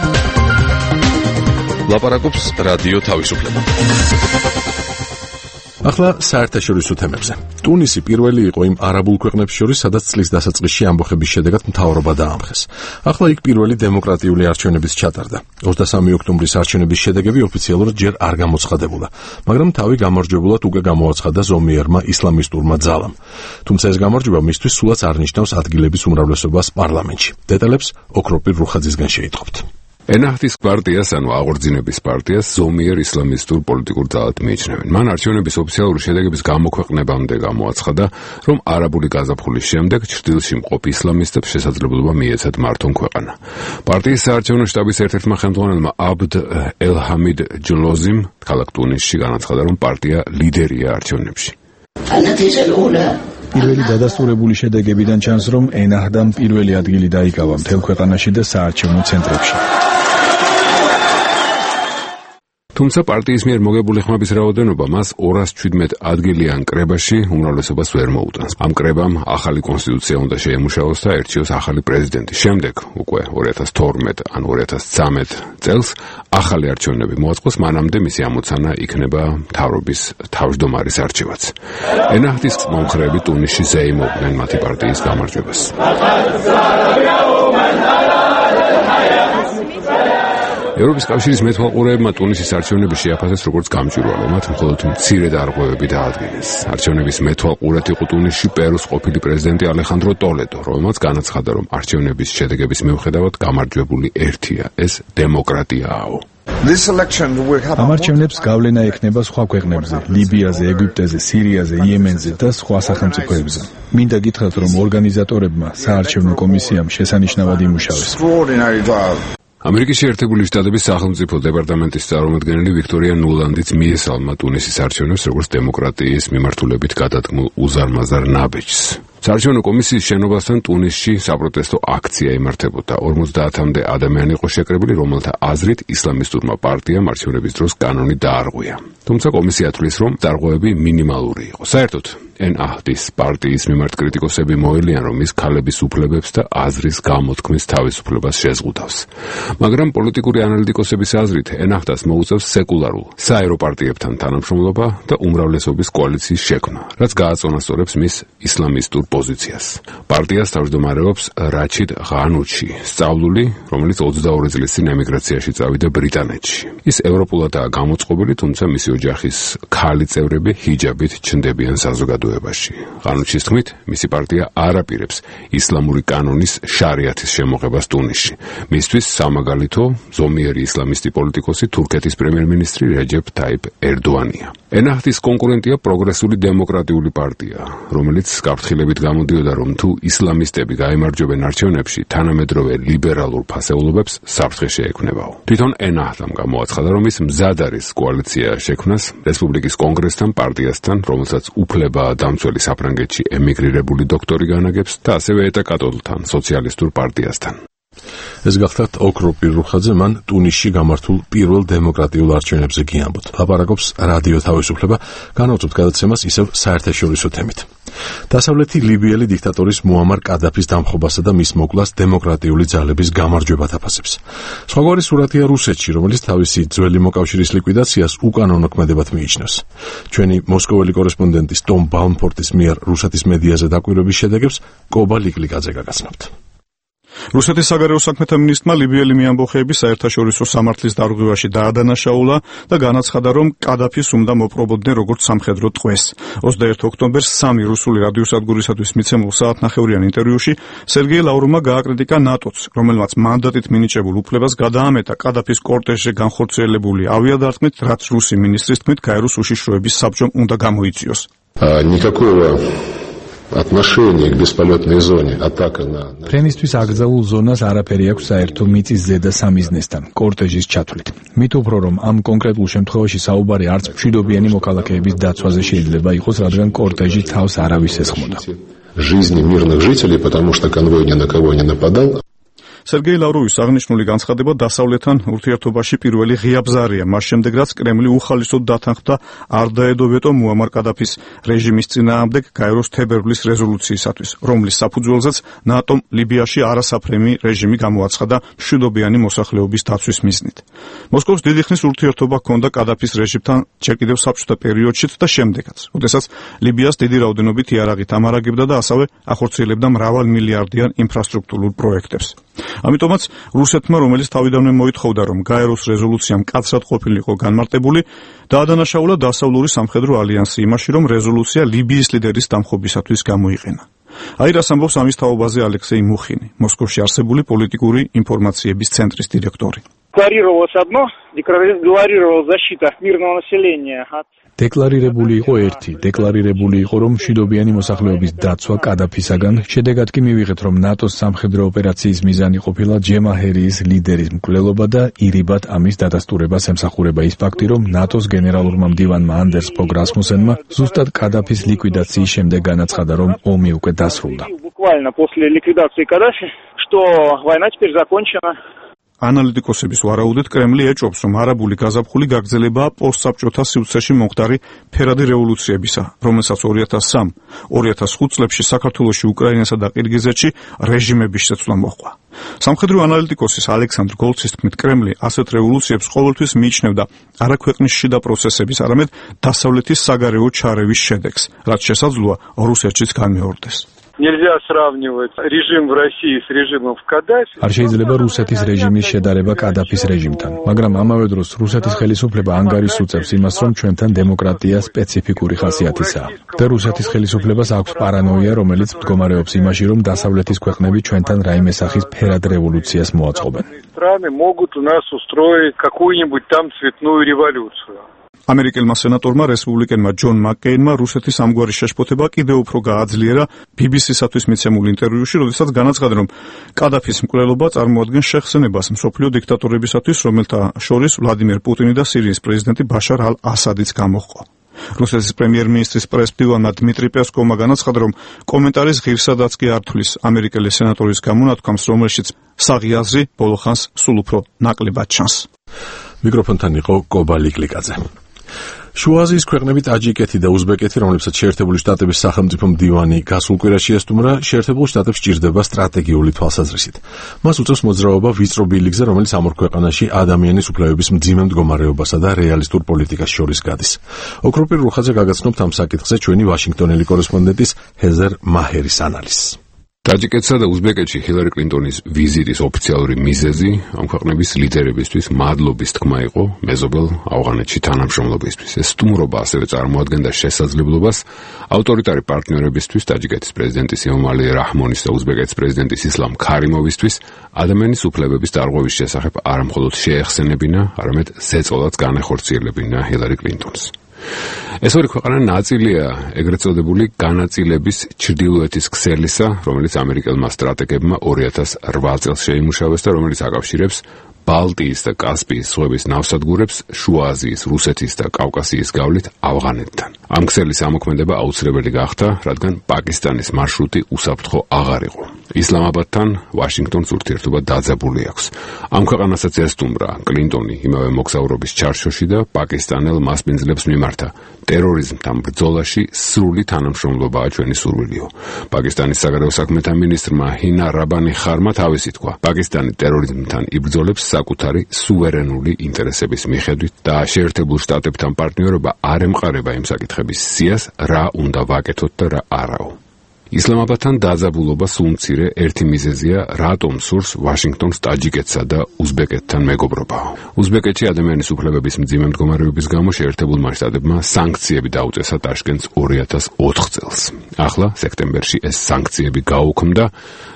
Speaker 1: ლაპარაკობს რადიო თავისუფლება. ახლა საერთაშორისო თემებზე. ტუნისი პირველი იყო იმ არაბულ ქვეყნებს შორის, სადაც წლის დასაწყისში ამბოხების შედეგად მთავრობა დაამხეს. ახლა იქ პირველი დემოკრატიული არჩევნებიც ჩატარდა. 23 ოქტომბრის არჩევნების შედეგები ოფიციალურად ჯერ არ გამოცხადებულა, მაგრამ თავი გამარჯვებულად უკვე გამოაცხადა ზომიერმა ისლამისტურმა ძალამ. თუმცა ეს გამარჯვება მისთვის სულაც არ ნიშნავს ადგილების უმრავლესობას პარლამენტში. დეტალებს ოქროპირ რუხაძისგან შეიტყობთ.
Speaker 23: ენაჰთის პარტიას, ანუ აღორძინების პარტიას ზომიერ ისლამისტურ პოლიტიკურ ძალად მიიჩნევენ. მან არჩევნების ოფიციალური შედეგების გამოქვეყნებამდე გამოაცხადა, რომ არაბული გაზაფხულის შემდეგ ჩრდილში მყოფ ისლამისტებს შესაძლებლობა მიეცათ მართონ ქვეყანა. პარტიის საარჩევნო შტაბის ერთ-ერთმა ხელმძღვანელმა აბდ ელ-ჰამიდ ჯლოზიმ ქალაქ ტუნისში განაცხადა, რომ პარტია ლიდერია არჩევნებში.
Speaker 9: პირველი დადასტურებული შედეგებიდან ჩანს, რომ ენაჰდამ პირველი ადგილი დაიკავა მთელ ქვეყანაში და საარჩევნო ცენტრებში.
Speaker 23: თუმცა პარტიის მიერ მოგებული ხმების რაოდენობა მას 217 ადგილიან კრებაში უმრავლესობას ვერ მოუტანს. ამ კრებამ ახალი კონსტიტუცია უნდა შეემუშაოს და ერჩიოს ახალი პრეზიდენტი. შემდეგ უკვე 2012 ან 2013 წელს ახალი არჩევნები მოაწყოს, მანამდე მისი ამოცანა იქნება მთავრობის თავმჯდომარის არჩევაც. ენაჰთის მომხრეები ტუნისში ზეიმობდნენ მათი პარტიის გამარჯვებას. ევროპის კავშირის მეთვალყურეებმა ტუნისის არჩევნები შეაფასეს როგორც გამჭვირვალე, მათ მხოლოდ მცირე დარღვევები დაადგინეს. არჩევნების მეთვალყურად იყო ტუნისში პერუს ყოფილი პრეზიდენტი ალეხანდრო ტოლედო, რომელმაც განაცხადა, რომ არჩევნების შედეგების მიუხედავად გამარჯვებული ერთია, ეს დემოკრატიაო.
Speaker 9: ამ არჩევნებს გავლენა ექნება სხვა ქვეყნებზე, ლიბიაზე, ეგვიპტეზე, სირიაზე, იემენზე და სხვა სახელმწიფოებზე. მინდა გითხრათ, რომ ორგანიზატორებმა საარჩევნო კომისიამ შესანიშნავად იმუშავეს.
Speaker 23: ამერიკის შეერთებული შტატების სახელმწიფო დეპარტამენტის წარმომადგენელი ვიქტორია ნულანდიც მიესალმა ტუნისის არჩევნებს როგორც დემოკრატიის მიმართულებით გადადგმულ უზარმაზარ ნაბეჯს. საარჩევნო კომისიის შენობასთან ტუნისში საპროტესტო აქცია იმართებოდა. 50-მდე ადამიანი იყო შეკრებილი, რომელთა აზრით ისლამისტურმა პარტიამ არჩევნების დროს კანონი დაარღვია. თუმცა კომისია თვლის, რომ დარღვევები მინიმალური იყო. საერთოდ ენაჰდის პარტიის მიმართ კრიტიკოსები მოელიან, რომ ის ქალების უფლებებს და აზრის გამოთქმის თავისუფლებას შეზღუდავს. მაგრამ პოლიტიკური ანალიტიკოსების აზრით ენაჰდას მოუწევს სეკულარულ საერო პარტიებთან თანამშრომლობა და უმრავლესობის კოალიციის შექმნა, რაც გააწონასწორებს მის ისლამისტურ პოზიციას. პარტიას თავმჯდომარეობს რაჩიდ ღანუჩი, სწავლული, რომელიც 22 წლის წინ ემიგრაციაში წავიდა ბრიტანეთში. ის ევროპულადაა გამოწყობილი, თუმცა მისი ოჯახის ქალი წევრები ჰიჯაბით ჩნდებიან საზოგადოებაში. ღანუჩის თქმით, მისი პარტია არ აპირებს ისლამური კანონის შარიათის შემოღებას ტუნისში. მისთვის სამაგალითო ზომიერი ისლამისტი პოლიტიკოსი თურქეთის პრემიერ-მინისტრი რეჯეფ თაიფ ერდოანია. ენაჰდის კონკურენტია პროგრესული დემოკრატიული პარტია, რომელიც გაფრთხილებით გამოდიოდა, რომ თუ ისლამისტები გაემარჯვებენ არჩევნებში, თანამედროვე ლიბერალურ ფასეულობებს საფრთხე შეექმნებაო. თვითონ ენაჰდამ გამოაცხადა, რომ ის მზად არის კოალიცია შექმნას რესპუბლიკის კონგრესთან, პარტიასთან, რომელსაც უფლებაა დამცველი საფრანგეთში ემიგრირებული დოქტორი განაგებს და ასევე ეტა კატოლთან, სოციალისტურ პარტიასთან.
Speaker 1: ეს გახლავთ ოქრო პირუხაძე, მან ტუნისში გამართულ პირველ დემოკრატიულ არჩევნებზე გიამბოთ. ლაპარაკობს რადიო თავისუფლება, განავწოთ გადაცემას ისევ საერთაშორისო თემით. დასავლეთი ლიბიელი დიქტატორის მუამარ კადაფის დამხობასა და მის მოკლას დემოკრატიული ძალების გამარჯვებად აფასებს. სხვაგვარი სურათია რუსეთში, რომელიც თავისი ძველი მოკავშირის ლიკვიდაციას უკანონო ქმედებად მიიჩნევს. ჩვენი მოსკოველი კორესპონდენტის ტომ ბაუნფორტის მიერ რუსეთის მედიაზე დაკვირვების შედეგებს კობა ლიკლიკაძე გაგაცნობთ.
Speaker 2: რუსეთის საგარეო საქმეთა მინისტრმა ლიბიელი მეამბოხეების საერთაშორისო სამართლის დარღვევაში დაადანაშაულა და განაცხადა, რომ კადაფის უნდა მოპრობოდნენ როგორც სამხედრო ტყვეს. 21 ოქტომბერს სამი რუსული რადიოსადგურისათვის მიცემულ საათნახევრიან ინტერვიუში სერგეი ლავროვმა გააკრიტიკა ნატოც, რომელმაც მანდატით მინიჭებულ უფლებას გადაამეტა კადაფის კორტეჟზე განხორციელებული ავიადარტყმით, რაც რუსი მინისტრის თქმით გაეროს უშიშროების საბჭომ უნდა გამოიწვიოს.
Speaker 3: отношение к бесполетной зоне, атака на...
Speaker 9: ფრენისთვის აკრძალულ ზონას არაფერი აქვს საერთო მიწის ზედა სამიზნესთან, კორტეჟის ჩათვლით. მით უფრო რომ ამ კონკრეტულ შემთხვევაში საუბარი არც მშვიდობიანი მოქალაქეების დაცვაზე შეიძლება იყოს, რადგან კორტეჟი თავს არავის ესხმოდა.
Speaker 3: жизни мирных жителей, потому что конвой ни на кого не нападал.
Speaker 2: სერგეი ლავროვის აღნიშნული განცხადება დასავლეთთან ურთიერთობაში პირველი ღია ბზარია, მას შემდეგ რაც კრემლი უხალისოდ დათანხმდა არ დაედო ვეტო მუამარ კადაფის რეჟიმის წინააღმდეგ გაეროს თებერვლის რეზოლუციისათვის, რომლის საფუძველზეც ნატომ ლიბიაში არასაფრენი რეჟიმი გამოაცხადა მშვიდობიანი მოსახლეობის დაცვის მიზნით. მოსკოვს დიდი ხნის ურთიერთობა ჰქონდა კადაფის რეჟიმთან ჯერ კიდევ საბჭოთა პერიოდშიც და შემდეგაც, როდესაც ლიბიას დიდი რაოდენობით იარაღით ამარაგებდა და ასევე ახორციელებდა მრავალმილიარდიან ინფრასტრუქტურულ პროექტებს. ამიტომაც რუსეთმა, რომელიც თავიდანვე მოითხოვდა, რომ გაეროს რეზოლუცია მკაცრად ყოფილიყო განმარტებული, დაადანაშაულა დასავლური სამხედრო ალიანსი იმაში, რომ რეზოლუცია ლიბიის ლიდერის დამხობისათვის გამოიყენა. აირას ამბობს ამის თაობაზე ალექსეი მუხინი, მოსკოვში არსებული პოლიტიკური ინფორმაციების ცენტრის დირექტორი.
Speaker 7: декларировал защита мирного населения от
Speaker 9: დეკლარირებული იყო ერთი, დეკლარირებული იყო, რომ მშვიდობიანი მოსახლეობის დაცვა კადაფისაგან, შედეგად კი მივიღეთ, რომ ნატოს სამხედრო ოპერაციის მიზანი ყოფილა ჯემაჰერიის ლიდერის მკვლელობა და ირიბად ამის დადასტურებას ემსახურება ის ფაქტი, რომ ნატოს გენერალურმა მდივანმა ანდერს ფოგ რასმუსენმა ზუსტად კადაფის ლიკვიდაციის შემდეგ განაცხადა, რომ ომი უკვე დასრულდა.
Speaker 7: Буквально после ликвидации Каддафи, что война теперь закончена.
Speaker 2: ანალიტიკოსების ვარაუდით კრემლი ეჭვობს, რომ არაბული გაზაფხული გაგრძელებაა პოსტსაბჭოთა სივრცეში მომხდარი ფერადი რევოლუციებისა, რომელსაც 2003-2005 წლებში საქართველოში, უკრაინასა და ყირგიზეთში რეჟიმების შეცვლა მოჰყვა. სამხედრო ანალიტიკოსის ალექსანდრ გოლცის თქმით, კრემლი ასეთ რევოლუციებს ყოველთვის მიიჩნევდა არა ქვეყნის შიდა პროცესების, არამედ დასავლეთის საგარეო ჩარევის შედეგს, რაც შესაძლოა რუსეთშიც განმეორდეს.
Speaker 17: Нельзя сравнивать режим в России с режимом в Каддафи.
Speaker 9: არ შეიძლება რუსეთის რეჟიმის შედარება კადაფის რეჟიმთან, მაგრამ ამავე დროს რუსეთის ხელისუფლება ანგარიშს უწევს იმას, რომ ჩვენთან დემოკრატია სპეციფიკური ხასიათისაა. და რუსეთის ხელისუფლებას აქვს პარანოია, რომელიც მდგომარეობს იმაში, რომ დასავლეთის ქვეყნები ჩვენთან რაიმე სახის ფერად რევოლუციას მოაწყობენ.
Speaker 17: Страны могут у нас устроить какую-нибудь там цветную революцию.
Speaker 2: ამერიკელმა სენატორმა რესპუბლიკელმა ჯონ მაკკეინმა რუსეთის ამგვარი შეშფოთება კიდევ უფრო გააძლიერა BBC-სათვის მიცემულ ინტერვიუში, როდესაც განაცხადა, რომ კადაფის მკვლელობა წარმოადგენს შეხსენებას მსოფლიო დიქტატორებისათვის, რომელთა შორის ვლადიმერ პუტინი და სირიის პრეზიდენტი ბაშარ ალ-ასადიც გამოჰყო. რუსეთის პრემიერ-მინისტრის პრესმდივანმა დმიტრი პესკოვმა განაცხადა, რომ კომენტარის ღირსადაც კი არ თვლის ამერიკელი სენატორის გამონათქვამს, რომელშიც საღი აზრი ბოლოხანს სულ უფრო ნაკლებად ჩანს.
Speaker 1: მიკროფონთან იყო კობალი კლიკაძე. შუა აზიის ქვეყნები ტაჯიკეთი და უზბეკეთი, რომლებსაც შეერთებული შტატების სახელმწიფო მდივანი გასულ კვირაში ესტუმრა, შეერთებულ შტატებს სჭირდება სტრატეგიული თვალსაზრისით. მას უწევს მოძრაობა ვიწრო ბილიკზე, რომელიც ამ ორ ქვეყანაში ადამიანის უფლებების მძიმე მდგომარეობასა და რეალისტურ პოლიტიკას შორის გადის. ოქროპირ რუხაძე გაგაცნობთ ამ საკითხზე ჩვენი ვაშინგტონელი კორესპონდენტის ჰეზერ მაჰერის ანალიზს.
Speaker 23: ტაჯიკეთსა და უზბეკეთში ჰილარი კლინტონის ვიზიტის ოფიციალური მიზეზი ამ ქვეყნების ლიდერებისთვის მადლობის თქმა იყო მეზობელ ავღანეთში თანამშრომლობისთვის. ეს სტუმრობა ასევე წარმოადგენდა შესაძლებლობას ავტორიტარი პარტნიორებისთვის, ტაჯიკეთის პრეზიდენტის ემომალი რაჰმონის და უზბეკეთის პრეზიდენტის ისლამ ქარიმოვისთვის ადამიანის უფლებების დარღვევის შესახებ არა მხოლოდ შეეხსენებინა, არამედ ზეწოლაც განეხორციელებინა ჰილარი კლინტონს. ეს ორი ქვეყანა ნაწილია ეგრეთ წოდებული განაწილების ჩრდილოეთის ქსელისა, რომელიც ამერიკელმა სტრატეგებმა 2008 წელს შეიმუშავეს და რომელიც აკავშირებს ბალტიის და კასპიის ზღვების ნავსადგურებს შუა აზიის, რუსეთის და კავკასიის გავლით ავღანეთთან. ამ ქსელის ამოქმედება აუცილებელი გახდა, რადგან პაკისტანის მარშრუტი უსაფრთხო აღარ იყო. ისლამაბადთან ვაშინგტონს ურთიერთობა დაძაბული აქვს. ამ ქვეყანასაც ესტუმრა კლინტონი იმავე მოგზაურობის ჩარჩოში და პაკისტანელ მასპინძლებს მიმართა. ტერორიზმთან ბრძოლაში სრული თანამშრომლობაა ჩვენი სურვილიო. პაკისტანის საგარეო საქმეთა მინისტრმა ჰინა რაბანი ხარმა თავისი თქვა. პაკისტანი ტერორიზმთან იბრძოლებს საკუთარი სუვერენული ინტერესების მიხედვით და შეერთებულ შტატებთან პარტნიორობა არ ემყარება იმ საკითხების სიას, რა უნდა ვაკეთოთ და რა არაო. ისლამაბადთან დაძაბულობა სულ მცირე ერთი მიზეზია, რატომ სურს ვაშინგტონს ტაჯიკეთსა და უზბეკეთთან მეგობრობა. უზბეკეთში ადამიანის უფლებების მძიმე მდგომარეობის გამო შეერთებულმა შტატებმა სანქციები დაუწესა ტაშკენტს 2004 წელს. ახლა სექტემბერში ეს სანქციები გაუქმდა,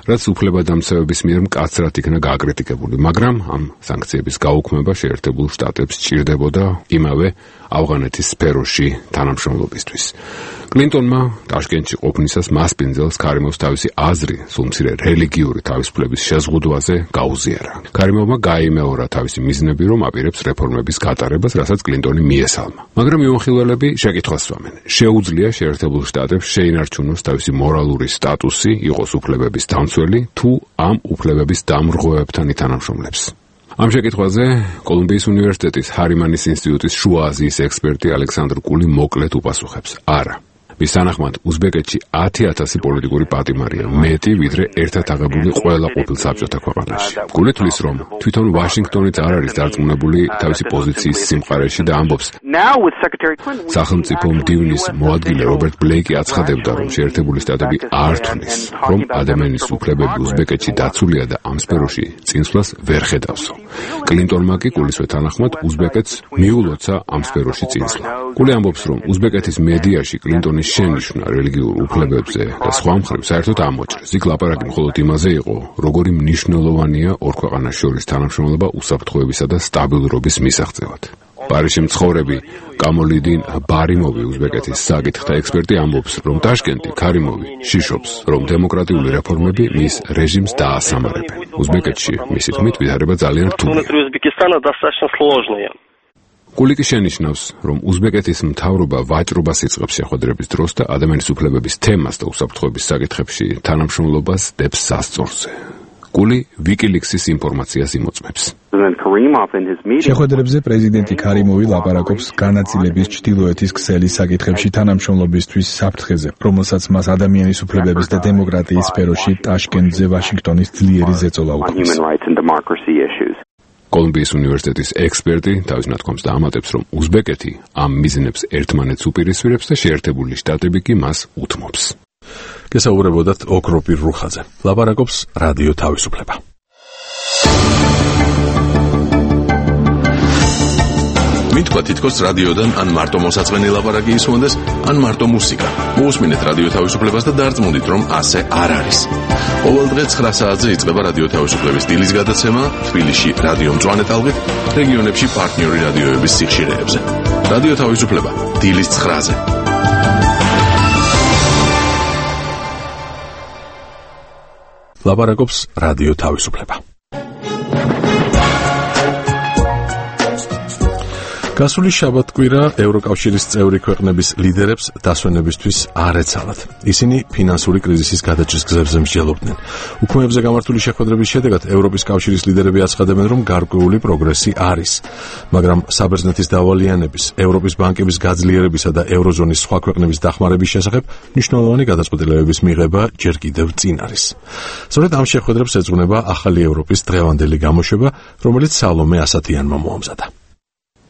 Speaker 23: რაც უფლებადამცავების მიერ მკაცრად იქნა გაკრიტიკებული, მაგრამ ამ სანქციების გაუქმება შეერთებულ შტატებს სჭირდებოდა იმავე ავღანეთის სფეროში თანამშრომლობისთვის. კლინტონმა ტაშკენტში ყოფნისას მასპინძელს ქარიმოვს თავისი აზრი სულ მცირე რელიგიური თავისუფლების შეზღუდვაზე გაუზიარა. ქარიმოვმა გაიმეორა თავისი მიზნები, რომ აპირებს რეფორმების გატარებას, რასაც კლინტონი მიესალმა. მაგრამ მიმოხილველები შეკითხვას სვამენ. შეუძლია შეერთებულ შტატებს შეინარჩუნოს თავისი მორალური სტატუსი, იყოს უფლებების დამცველი, თუ ამ უფლებების დამრღვევებთან ითანამშრომლებს. ამ შეკითხვაზე კოლუმბიის უნივერსიტეტის ჰარიმანის ინსტიტუტის შუა აზიის ექსპერტი ალექსანდრ კული მოკლედ უპასუხებს: არა. მის თანახმად უზბეკეთში 10,000 პოლიტიკური პატიმარია, მეტი ვიდრე ერთად აღებული ყველა ყოფილ საბჭოთა ქვეყანაში. კული თვლის, რომ თვითონ ვაშინგტონიც არ არის დარწმუნებული თავისი პოზიციის სიმყარეში და ამბობს: სახელმწიფო მდივნის მოადგილე რობერტ ბლეიკი აცხადებდა, რომ შეერთებული შტატები არ თვლის, რომ ადამიანის უფლებები უზბეკეთში დაცულია და ამ სფეროში წინსვლას ვერ ხედავსო. კლინტონმა კი კულისვე თანახმად უზბეკეთს მიულოცა ამ სფეროში წინსვლა. კული ამბობს, რომ უზბეკეთის მედიაში კლინტონის შენიშვნა რელიგიურ უფლებებზე და სხვა მხრივ საერთოდ ამოჭრეს. იქ ლაპარაკი მხოლოდ იმაზე იყო, როგორი მნიშვნელოვანია ორ ქვეყანას შორის თანამშრომლობა უსაფრთხოებისა და სტაბილურობის მისაღწევად. პარიზში მცხოვრები კამოლიდინ ბარიმოვი, უზბეკეთის საკითხთა ექსპერტი, ამბობს, რომ ტაშკენტი, ქარიმოვი შიშობს, რომ დემოკრატიული რეფორმები მის რეჟიმს დაასამარებენ. უზბეკეთში მისი თქმით ვითარება ძალიან რთულია. კულიკი შენიშნავს, რომ უზბეკეთის მთავრობა ვაჭრობას იწყებს შეხვედრების დროს და ადამიანის უფლებების თემას და უსაფრთხოების საკითხებში თანამშრომლობას დებს სასწორზე. გული WikiLeaks-ის ინფორმაციას იმოწმებს.
Speaker 9: შეხვედრებზე პრეზიდენტი ქარიმოვი ლაპარაკობს განაწილების ჩრდილოეთის ქსელის საკითხებში თანამშრომლობისთვის საფრთხეზე, რომელსაც მას ადამიანის უფლებების და დემოკრატიის სფეროში ტაშკენტზე ვაშინგტონის ძლიერი ზეწოლა უქმნის.
Speaker 23: კოლუმბიის უნივერსიტეტის ექსპერტი თავის ნათქვამს დაამატებს, რომ უზბეკეთი ამ მიზნებს ერთმანეთს უპირისპირებს და შეერთებული შტატები კი მას უთმობს.
Speaker 1: გესაუბრებოდათ ოქროპირ რუხაძე. ლაპარაკობს რადიო თავისუფლება. მითქვა თითქოს რადიოდან ან მარტო მოსაწყენი ლაპარაკი ისმონდეს, ან მარტო მუსიკა. მოусმინეთ რადიო თავისუფლებას და დარწმუნდით, რომ ასე არ არის. ყოველ დღე 9 საათზე იწყება რადიო თავისუფლების დილის გადაცემა თბილისში რადიო მწვანე ტალღით, რეგიონებში პარტნიორი რადიოების სიხშირეებზე. რადიო თავისუფლება დილის 9-ზე. ლაპარაკობს რადიო თავისუფლება. გასული შაბათ-კვირა ევროკავშირის წევრი ქვეყნების ლიდერებს დასვენებისთვის არ ეცალათ. ისინი ფინანსური კრიზისის გადაჭრის გზებზე მსჯელობდნენ. უქმეებზე გამართული შეხვედრების შედეგად ევროპის კავშირის ლიდერები აცხადებენ, რომ გარკვეული პროგრესი არის, მაგრამ საბერძნეთის დავალიანების, ევროპის ბანკების გაძლიერებისა და ევროზონის სხვა ქვეყნების დახმარების შესახებ მნიშვნელოვანი გადაწყვეტილებების მიღება ჯერ კიდევ წინ არის. სწორედ ამ შეხვედრებს ეძღვნება ახალი ევროპის დღევანდელი გამოშვება, რომელიც სალომე ასათიანმა მოამზადა.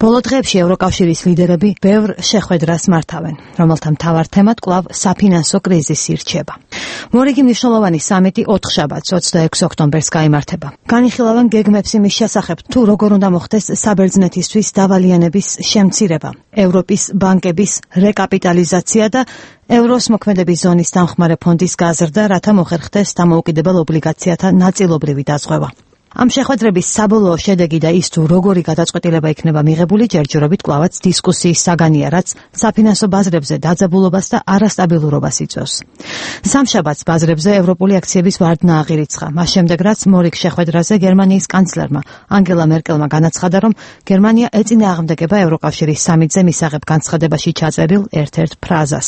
Speaker 4: ბოლო დღეებში ევროკავშირის ლიდერები ბევრ შეხვედრას მართავენ, რომელთა მთავარ თემად კვლავ საფინანსო კრიზისი რჩება. მორიგი მნიშვნელოვანი სამიტი 4 შაბათს 26 ოქტომბერს გაიმართება. განიხილავენ გეგმებს იმის შესახებ, თუ როგორ უნდა მოხდეს საბერძნეთისთვის დავალიანების შემცირება, ევროპის ბანკების რეკაპიტალიზაცია და ევროს მოქმედების ზონის დამხმარე ფონდის გაზრდა, რათა მოხერხდეს დამოუკიდებელ ობლიგაციათა ნაწილობრივი დაზღვევა. ამ შეხვედრების საბოლოო შედეგი და ის თუ როგორი გადაწყვეტილება იქნება მიღებული ჯერჯერობით კვლავაც დისკუსიის საგანია, რაც საფინანსო ბაზრებზე დაძაბულობას და არასტაბილურობას იწვევს. სამშაბათს ბაზრებზე ევროპული აქციების ვარდნა აღირიცხა, მას შემდეგ რაც მორიგ შეხვედრაზე გერმანიის კანცლერმა ანგელა მერკელმა განაცხადა, რომ გერმანია ეწინააღმდეგება ევროკავშირის სამიტზე მისაღებ განცხადებაში ჩაწერილ ერთ-ერთ ფრაზას.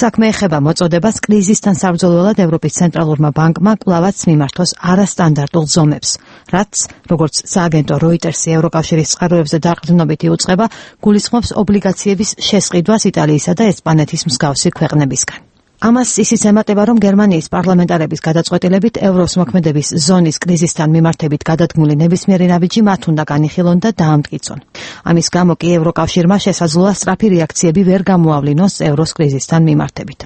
Speaker 4: საქმე ეხება მოწოდებას კრიზისთან საბრძოლველად ევროპის ცენტრალურმა ბანკმა კვლავაც მიმართოს არასტანდარტულ ზომებს, რაც, როგორც სააგენტო როიტერსი ევროკავშირის წყაროებზე დაყრდნობით იუწყება, გულისხმობს ობლიგაციების შესყიდვას იტალიისა და ესპანეთის მსგავსი ქვეყნებისგან. ამას ისიც ემატება, რომ გერმანიის პარლამენტარების გადაწყვეტილებით ევროს მოქმედების ზონის კრიზისთან მიმართებით გადადგმული ნებისმიერი ნაბიჯი მათ უნდა განიხილონ და დაამტკიცონ. ამის გამო კი ევროკავშირმა შესაძლოა სწრაფი რეაქციები ვერ გამოავლინოს ევროს კრიზისთან მიმართებით.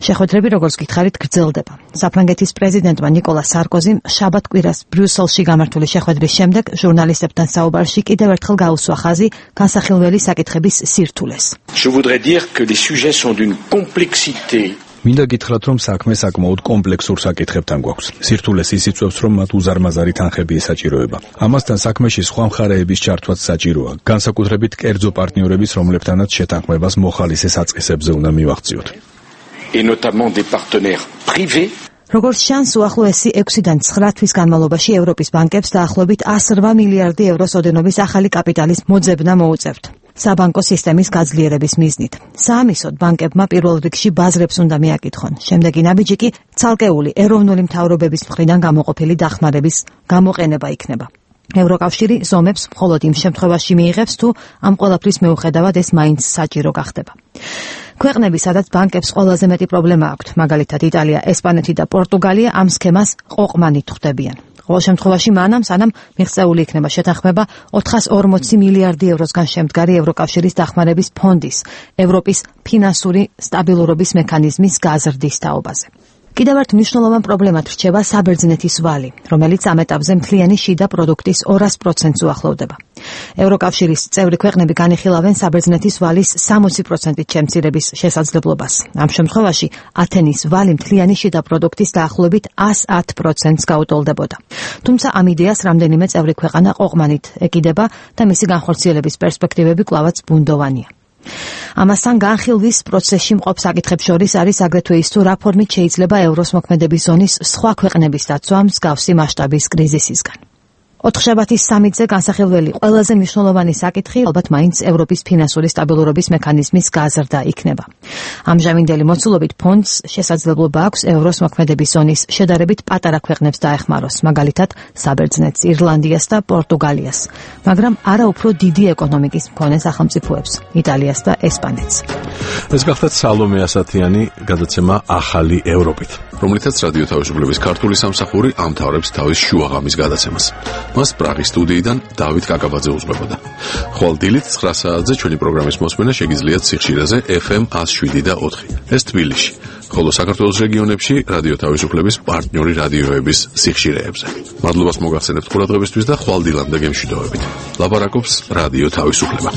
Speaker 4: შეხვედრები, როგორც გითხარით, გრძელდება. საფრანგეთის პრეზიდენტმა ნიკოლა სარკოზიმ შაბათ-კვირას ბრიუსელში გამართული შეხვედრის შემდეგ ჟურნალისტებთან საუბარში კიდევ ერთხელ გაუსვა ხაზი განსახილველი საკითხების სირთულეს.
Speaker 6: Je voudrais dire que les sujets sont d'une complexité.
Speaker 9: მინდა გითხრათ, რომ საქმე საკმაოდ კომპლექსურ საკითხებთან გვაქვს. სირთულეს ის იწვევს, რომ მათ უზარმაზარი თანხები ესაჭიროება. ამასთან საქმეში სხვა მხარეების ჩართვაც საჭიროა, განსაკუთრებით კერძო პარტნიორების, რომლებთანაც შეთანხმებას მოხალისე საწყისებზე უნდა მივაღწიოთ.
Speaker 6: Et notamment des partenaires privés.
Speaker 4: როგორც ჩანს, უახლოესი 6-დან 9 თვის განმავლობაში ევროპის ბანკებს დაახლოებით 108 მილიარდი ევროს ოდენობის ახალი კაპიტალის მოძებნა მოუწევთ. საბანკო სისტემის გაძლიერების მიზნით. საამისოდ ბანკებმა პირველ რიგში ბაზრებს უნდა მიაკითხონ. შემდეგი ნაბიჯი კი ცალკეული ეროვნული მთავრობების მხრიდან გამოყოფილი დახმარების გამოყენება იქნება. ევროკავშირი ზომებს მხოლოდ იმ შემთხვევაში მიიღებს, თუ ამ ყველაფრის მიუხედავად ეს მაინც საჭირო გახდება. ქვეყნები, სადაც ბანკებს ყველაზე მეტი პრობლემა აქვთ, მაგალითად იტალია, ესპანეთი და პორტუგალია, ამ სქემას ყოყმანით ხვდებიან. ყოველ შემთხვევაში მანამ, სანამ მიღწეული იქნება შეთანხმება 440 მილიარდი ევროსგან შემდგარი ევროკავშირის დახმარების ფონდის, ევროპის ფინანსური სტაბილურობის მექანიზმის გაზრდის თაობაზე. კიდევ ერთ მნიშვნელოვან პრობლემად რჩება საბერძნეთის ვალი, რომელიც ამ ეტაპზე მთლიანი შიდა პროდუქტის 200%-ს უახლოვდება. ევროკავშირის წევრი ქვეყნები განიხილავენ საბერძნეთის ვალის 60%-ით შემცირების შესაძლებლობას. ამ შემთხვევაში ათენის ვალი მთლიანი შიდა პროდუქტის დაახლოებით 110%-ს გაუტოლდებოდა. თუმცა ამ იდეას რამდენიმე წევრი ქვეყანა ყოყმანით ეკიდება და მისი განხორციელების პერსპექტივები კვლავაც ბუნდოვანია. ამასთან განხილვის პროცესში მყოფ საკითხებს შორის არის აგრეთვე ის, თუ რა ფორმით შეიძლება ევროს მოქმედების ზონის სხვა ქვეყნების დაცვა მსგავსი მასშტაბის კრიზისისგან. ოთხშაბათის სამიტზე განსახილველი ყველაზე მნიშვნელოვანი საკითხი ალბათ მაინც ევროპის ფინანსური სტაბილურობის მექანიზმის გაზრდა იქნება. ამჟამინდელი მოცულობით ფონდს შესაძლებლობა აქვს ევროს მოქმედების ზონის შედარებით პატარა ქვეყნებს დაეხმაროს, მაგალითად საბერძნეთს, ირლანდიას და პორტუგალიას, მაგრამ არა უფრო დიდი ეკონომიკის მქონე სახელმწიფოებს, იტალიას და ესპანეთს.
Speaker 1: ეს გახლდათ სალომე ასათიანი გადაცემა ახალი ევროპით, რომლითაც რადიო თავისუფლების ქართული სამსახური ამთავრებს თავის შუაღამის გადაცემას. მას პრაღის სტუდიიდან დავით კაკაბაძე უძღვებოდა. ხვალ დილით 9 საათზე ჩვენი პროგრამის მოსმენა შეგიძლიათ სიხშირეზე FM 107.4. ეს თბილისში, ხოლო საქართველოს რეგიონებში რადიო თავისუფლების პარტნიორი რადიოების სიხშირეებზე. მადლობას მოგახსენებთ ყურადღებისთვის და ხვალ დილამდე გემშვიდობებით. ლაპარაკობს რადიო თავისუფლება.